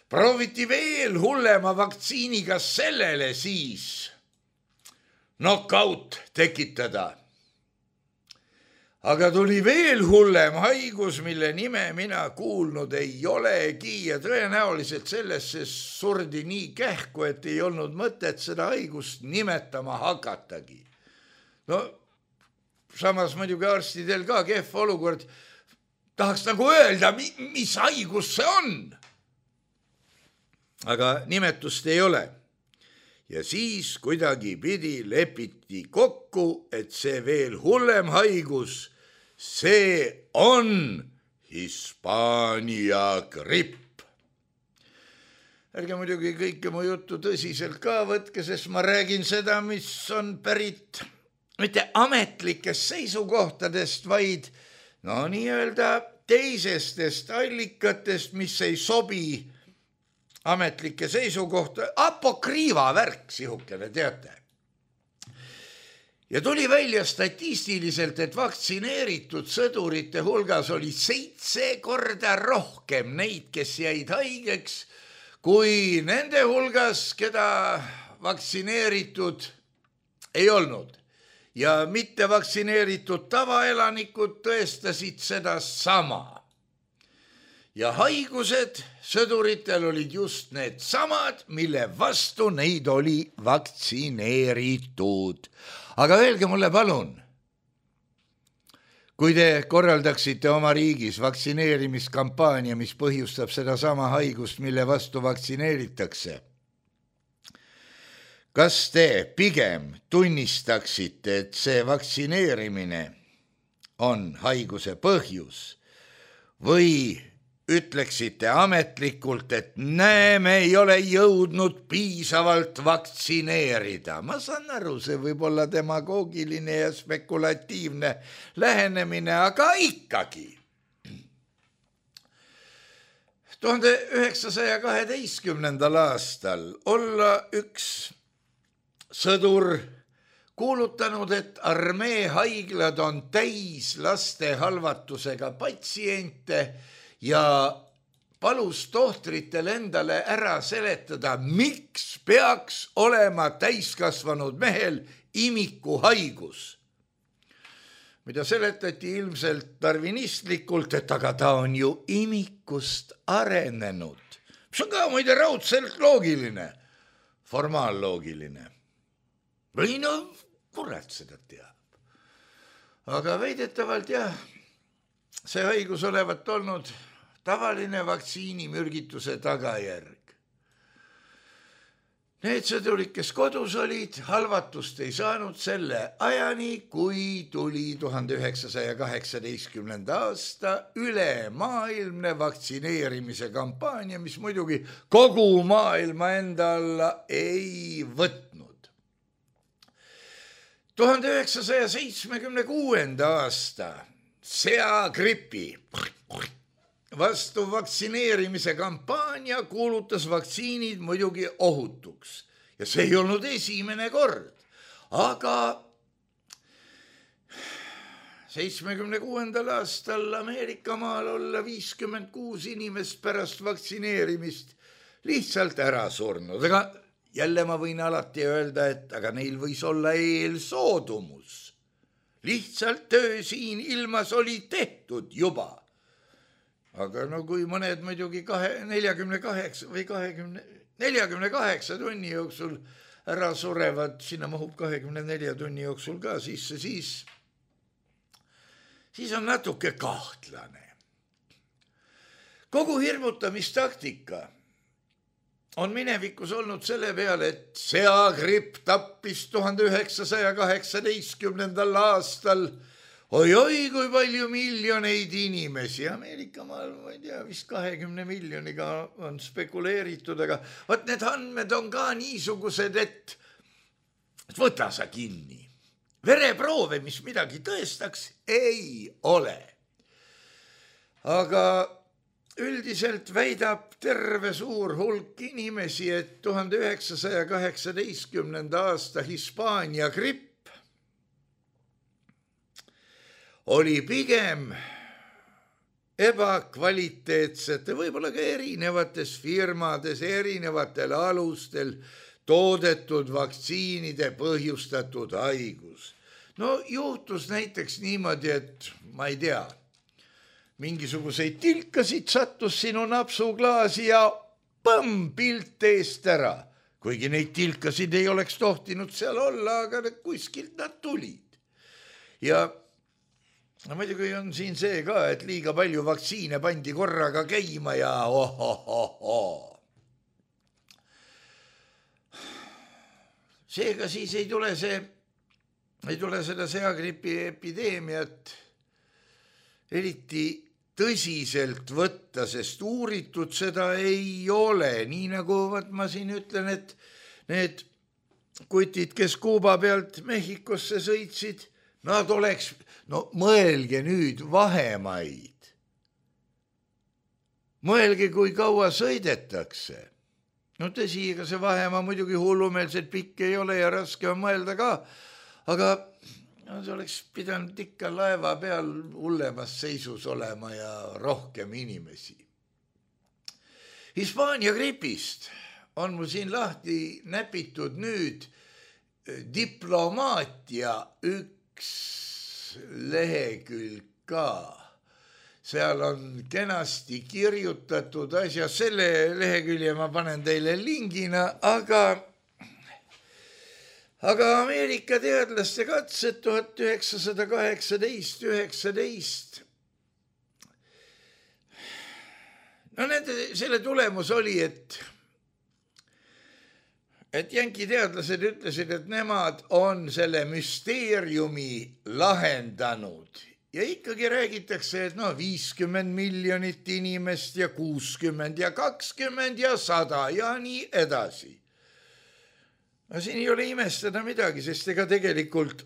Speaker 3: Prooviti veel hullema vaktsiiniga sellele siis knockout tekitada. Aga tuli veel hullem haigus, mille nime mina kuulnud ei olegi ja tõenäoliselt sellesse surdi nii kähku, et ei olnud mõtet seda haigust nimetama hakatagi. No samas muidugi arstidel ka kehv olukord, tahaks nagu öelda, mis haigus see on. Aga nimetust ei ole. Ja siis kuidagi pidi lepiti kokku, et see veel hullem haigus, see on Hispaania gripp. Ärge muidugi kõike mu juttu tõsiselt ka võtke, sest ma räägin seda, mis on pärit mitte ametlikest seisukohtadest, vaid nii-öelda teisestest allikatest, mis ei sobi ametlike seisukohta, apokriiva värk, sihukene, teate. Ja tuli välja statistiliselt, et vaktsineeritud sõdurite hulgas oli 7 korda rohkem neid, kes jäid haigeks, kui nende hulgas, keda vaktsineeritud ei olnud. Ja mitte vaktsineeritud tavaelanikud tõestasid seda sama. Ja haigused sõduritel olid just need samad, mille vastu neid oli vaktsineeritud. Aga öelge mulle palun, kui te korraldaksite oma riigis vaktsineerimiskampaania, mis põhjustab seda sama haigust, mille vastu vaktsineeritakse, kas te pigem tunnistaksite, et see vaktsineerimine on haiguse põhjus või ütleksite ametlikult, et me ei ole jõudnud piisavalt vaktsineerida? Ma saan aru, see võib olla demagoogiline ja spekulatiivne lähenemine, aga ikkagi. 1912. aastal olla üks sõdur kuulutanud, et armee haiglad on täis laste halvatusega patsiente ja palus tohtritel endale ära seletada, miks peaks olema täiskasvanud mehel imikuhaigus. Mida seletati ilmselt darwinistlikult, et aga ta on ju imikust arenenud. Mis on ka muide raudselt loogiline, formaaloogiline. Või kurat seda teab. Aga väidetavalt see haigus olevat olnud tavaline vaktsiinimürgituse tagajärg. Need sõdurid, kes kodus olid, halvatust ei saanud selle ajani, kui tuli 1918. aasta ülemaailmne vaktsineerimise kampaania, mis muidugi kogu maailma enda alla ei võtnud. 1976. aasta seagripi vastu vaktsineerimise kampaania kuulutas vaktsiinid muidugi ohutuks ja see ei olnud esimene kord, aga 76. aastal Ameerika maal olla 56 inimest pärast vaktsineerimist lihtsalt ära surnud. Aga jälle ma võin alati öelda, et aga neil võis olla eelsoodumus. Lihtsalt töö siin ilmas oli tehtud juba. Aga no kui mõned muidugi 48 tunni jooksul ära surevad, sinna mahub 24 tunni jooksul ka sisse, siis on natuke kahtlane. Kogu hirmutamistaktika on minevikus olnud selle peale, et seagripp tappis 1918. aastal oi-oi, kui palju miljoneid inimesi. Ameerika maal, ma ei tea, vist 20 miljoniga on spekuleeritud, aga võt need andmed on ka niisugused, et võta sa kinni. Vereproove, mis midagi tõestaks, ei ole. Aga üldiselt väidab terve suur hulk inimesi, et 1918. aasta Hispaania gripp oli pigem ebakvaliteetsete, võib-olla ka erinevates firmades, erinevatel alustel toodetud vaktsiinide põhjustatud haigus. No juhtus näiteks niimoodi, et ma ei tea, mingisuguseid tilkasid sattus sinu napsuklaasi ja põmm, pilt eest ära. Kuigi neid tilkasid ei oleks tohtinud seal olla, aga kuskilt nad tulid. Ja muidugi on siin see ka, et liiga palju vaktsiine pandi korraga käima ja Seega siis ei tule seda seagripi epideemiat eriti tõsiselt võtta, sest uuritud seda ei ole. Nii nagu ma siin ütlen, et need kutid, kes Kuuba pealt Mehhikosse sõitsid, nad oleks, no mõelge nüüd vahemaid. Mõelge, kui kaua sõidetakse. No tõsi, ega see vahemaa muidugi hullumeelselt pikk ei ole ja raske on mõelda ka, aga see oleks pidanud ikka laeva peal hullemas seisus olema ja rohkem inimesi. Hispaania gripist on mul siin lahti näpitud nüüd diplomaatia üks lehekülg ka. Seal on kenasti kirjutatud asja, selle lehekülje ma panen teile lingina, aga Ameerika teadlaste katsed 1918-19. No selle tulemus oli, et jänki teadlased ütlesid, et nemad on selle müsteeriumi lahendanud. Ja ikkagi räägitakse, et 50 miljonit inimest ja 60 ja 20 ja 100 ja nii edasi. Siin ei ole imestada midagi, sest ega tegelikult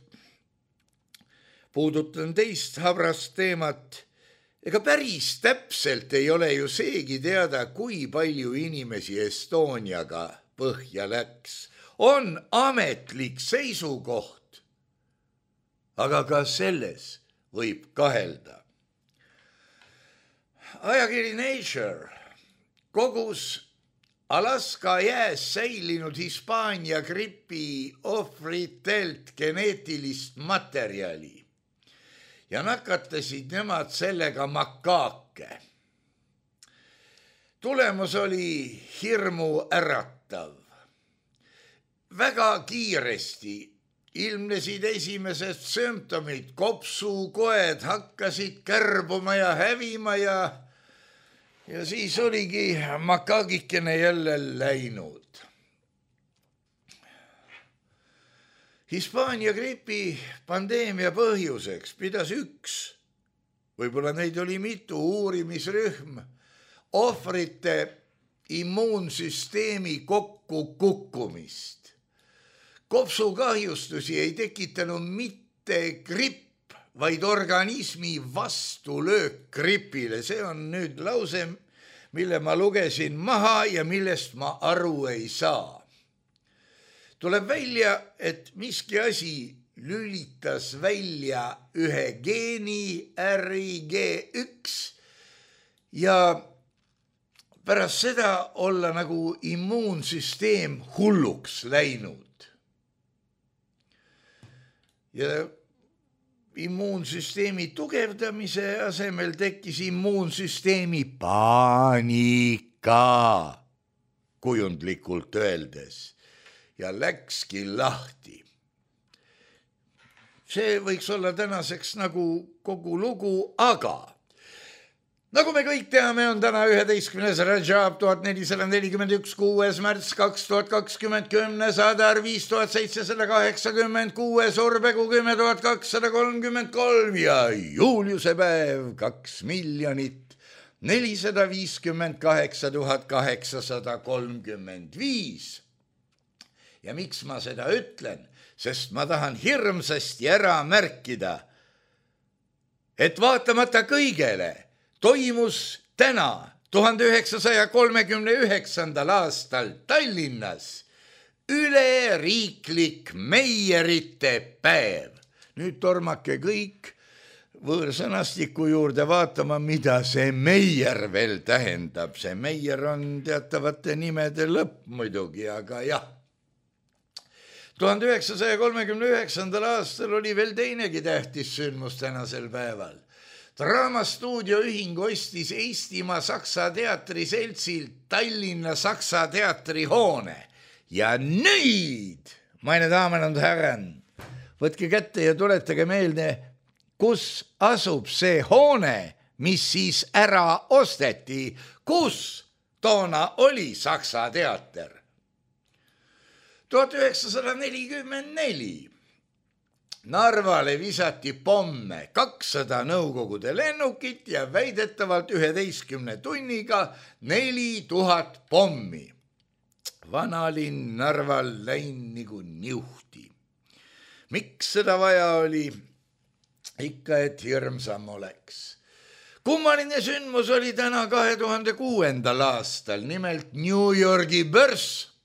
Speaker 3: puudutan teist habrast teemat. Ega päris täpselt ei ole ju seegi teada, kui palju inimesi Estoniaga põhja läks. On ametlik seisukoht, aga ka selles võib kahelda. Ajakiri Nature kogus Alaska jääs säilinud Hispaania gripi ohvritelt geneetilist materjali ja nakatasid nemad sellega makaake. Tulemus oli hirmu äratav. Väga kiiresti ilmnesid esimesed sümptomid, kopsukoed hakkasid kärbuma ja hävima ja siis oligi makaagikene jälle läinud. Hispaania gripi pandeemia põhjuseks pidas üks, võib-olla neid oli mitu, uurimisrühm, ohvrite immuunsüsteemi kokkukukkumist. Kopsukahjustusi ei tekitanud mitte gripp, vaid organismi vastulöök gripile. See on nüüd lause, mille ma lugesin maha ja millest ma aru ei saa. Tuleb välja, et miski asi lülitas välja ühe geeni RIG1 ja pärast seda olla nagu immuunsüsteem hulluks läinud. Ja immuunsüsteemi tugevdamise asemel tekkis immuunsüsteemi paanika, kujundlikult öeldes, ja läkski lahti. See võiks olla tänaseks nagu kogu lugu, aga nagu me kõik teame, on täna 11. Rajab 1441, 6. märts 2020, 10. Adar 5786, Urbegu 10.233 ja Juliuse päev 2,458,835. Ja miks ma seda ütlen? Sest ma tahan hirmsasti ära märkida, et vaatamata kõigele toimus täna 1939. aastal Tallinnas üleriiklik meierite päev. Nüüd tormake kõik võõrsõnastiku juurde vaatama, mida see meier veel tähendab. See meier on teatavate nimede lõpp muidugi, aga jah. 1939. aastal oli veel teinegi tähtis sündmus tänasel päeval. Draamastuudio ühing ostis Eestimaa Saksa teatri seltsilt Tallinna Saksa teatri hoone. Ja nüüd, meine Damen und Herren, võtke kätte ja tuletage meelde, kus asub see hoone, mis siis ära osteti, kus toona oli Saksa teater. 1944 Narvale visati pomme 200 Nõukogude lennukit ja väidetavalt 11 tunniga 4000 pommi. Vanalinn Narval läin nagu niuhti. Miks seda vaja oli? Ikka, et hirmsam oleks. Kummaline sündmus oli täna 2006. aastal, nimelt New Yorgi börs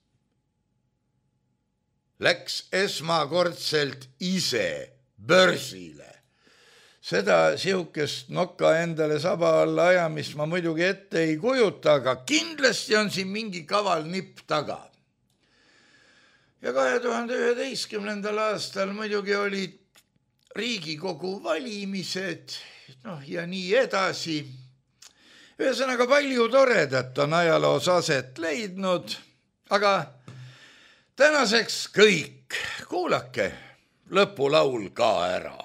Speaker 3: läks esmakordselt ise börsile. Seda sihukest nokka endale saba alla ajamist ma muidugi ette ei kujuta, aga kindlasti on siin mingi kaval nipp taga. Ja 2011. aastal muidugi olid Riigikogu valimised, ja nii edasi. Ühesõnaga palju toredat on ajaloos aset leidnud, aga tänaseks kõik. Kuulake lõpulaul ka ära.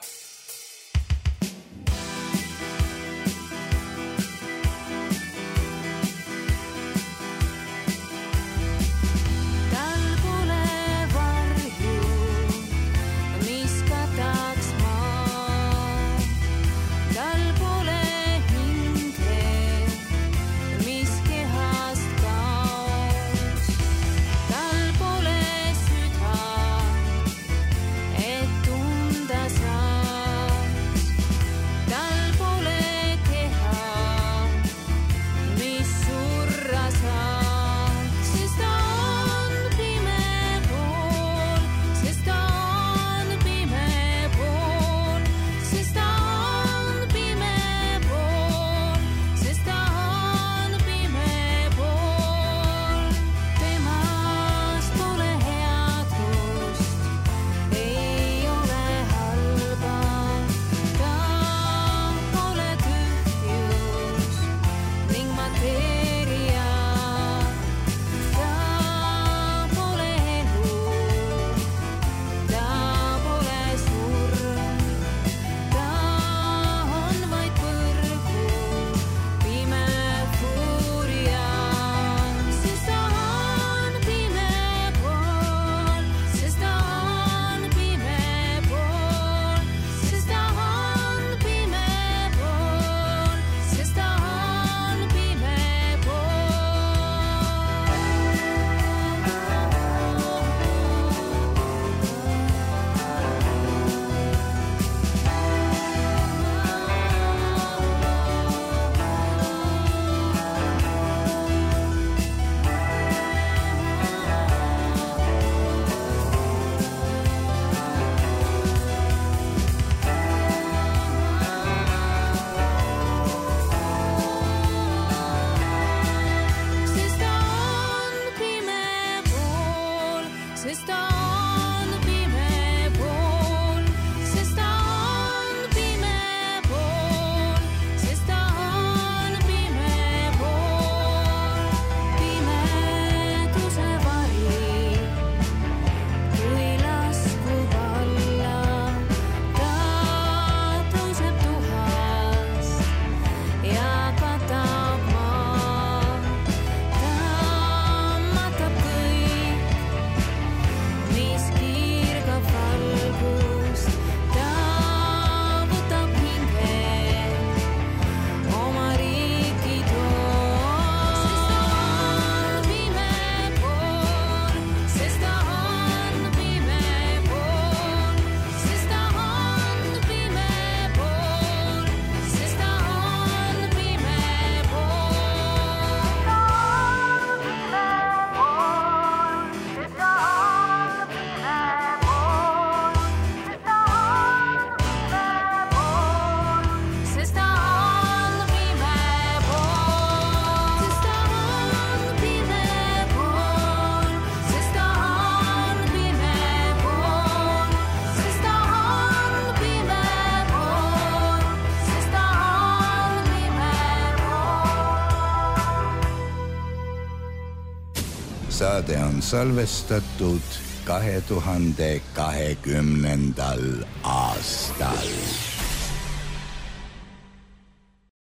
Speaker 4: Tunda saa. sest ta on pime pool, sest ta on pime pool, sest ta on pime pool, pimeduse vari, kui laskub alla, ta tõuseb tuhas ja katab maa, ta matab kõik, mis kiirgab valgust, ta võtab hinge, oma riiki toob. Sest ta on pime pool, sest ta on pime pool, sest ta on pime pool, sest ta on pime pool, sest ta on pime pool, sest ta on pime pool, sest ta on pime pool, sest ta on pime pool, sest ta on pime pool.
Speaker 3: Saade on salvestatud 2020. aastal.